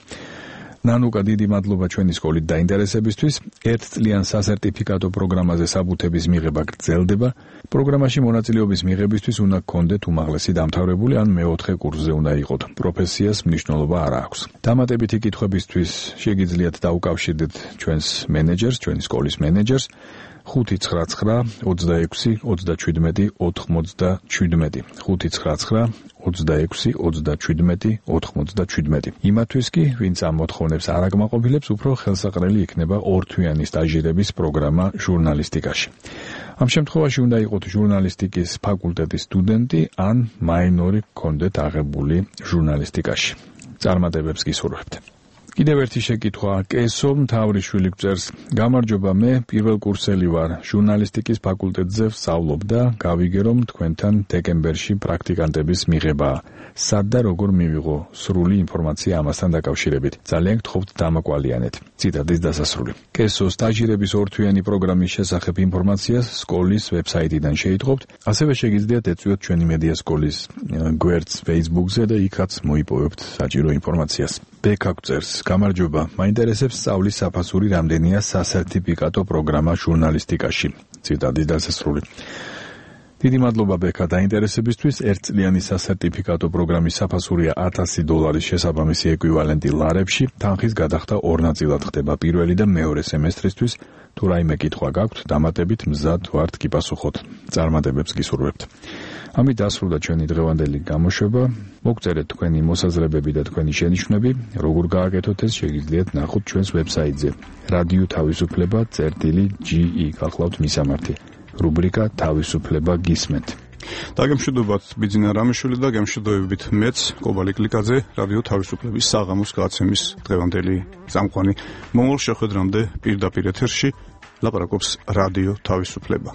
ნანუკა, დიდი მადლობა ჩვენი სკოლით დაინტერესებისთვის. 1 წლიან სასერტიფიკატო პროგრამაზე საბუთების მიღება გრძელდება. პროგრამაში მონაწილეობის მიღებისთვის უნდა გქონდეთ უმაღლესი დამთავრებული ან მე-4 კურსზე უნდა იყოთ. პროფესიას მნიშვნელობა არ აქვს. დამატებითი კითხვებისთვის შეგიძლიათ დაუკავშირდეთ ჩვენს მენეჯერს, ჩვენი სკოლის მენეჯერს 599 26 37 97 599 26 37 97. იმათთვის კი, ვინც ამ მოთხოვნებს არ აკმაყოფილებს, უფრო ხელსაყრელი იქნება 2 თვიანი სტაჟირების პროგრამა ჟურნალისტიკაში. ამ შემთხვევაში უნდა იყოთ ჟურნალისტიკის ფაკულტეტის სტუდენტი ან მაინორი გქონდეთ აღებული ჟურნალისტიკაში. წარმატებებს გისურვებთ. კიდევ ერთი შეკითხვა. კესო მთავრიშვილი გვწერს: გამარჯობა, მე პირველ კურსელი ვარ, ჟურნალისტიკის ფაკულტეტზე ვსწავლობ და გავიგე, რომ თქვენთან დეკემბერში პრაქტიკანტების მიღებაა. სად და როგორ მივიღო სრული ინფორმაცია ამასთან დაკავშირებით? ძალიან გთხოვთ დამაკვალიანეთ. ციტატის დასასრული. კესო სტაჟირების ორთვიანი პროგრამის შესახებ ინფორმაციას სკოლის ვებსაიტიდან შეიტყობთ, ასევე შეგიძლიათ ეწვიოთ ჩვენი მედია სკოლის გვერდს Facebook-ზე და იქაც მოიპოვებთ საჭირო ინფორმაციას. ბექა გწერს, გამარჯობა, მაინტერესებს სწავლის საფასური რამდენია სასერტიფიკატო პროგრამა ჟურნალისტიკაში. ციტატის დასასრული. დიდი მადლობა ბექა დაინტერესებისთვის. ერთწლიანი სასერტიფიკატო პროგრამის საფასურია $1000 შესაბამისი ეკვივალენტი ლარებში. თანხის გადახდა ორ ნაწილად ხდება, პირველი და მეორე სემესტრისთვის. თუ რაიმე კითხვა გაქვთ, დამატებით მზად ვართ გიპასუხოთ. წარმატებებს გისურვებთ. ამით დასრულდა ჩვენი დღევანდელი გამოშვება. მოგწერეთ თქვენი მოსაზრებები და თქვენი შენიშვნები. როგორ გააკეთოთ ეს შეგიძლიათ ნახოთ ჩვენს ვებსაიტზე რადიო თავისუფლება.ge გახლავთ მისამართი. რუბრიკა თავისუფლება გისმენთ. დაგემშვიდობათ ბიძინა რამიშვილი და გემშვიდობებით მეც კობალი კლიკაძე, რადიო თავისუფლების საღამოს გადაცემის დღევანდელი წამყვანი. მომავალ შეხვედრამდე პირდაპირ ეთერში ლაპარაკობს რადიო თავისუფლება.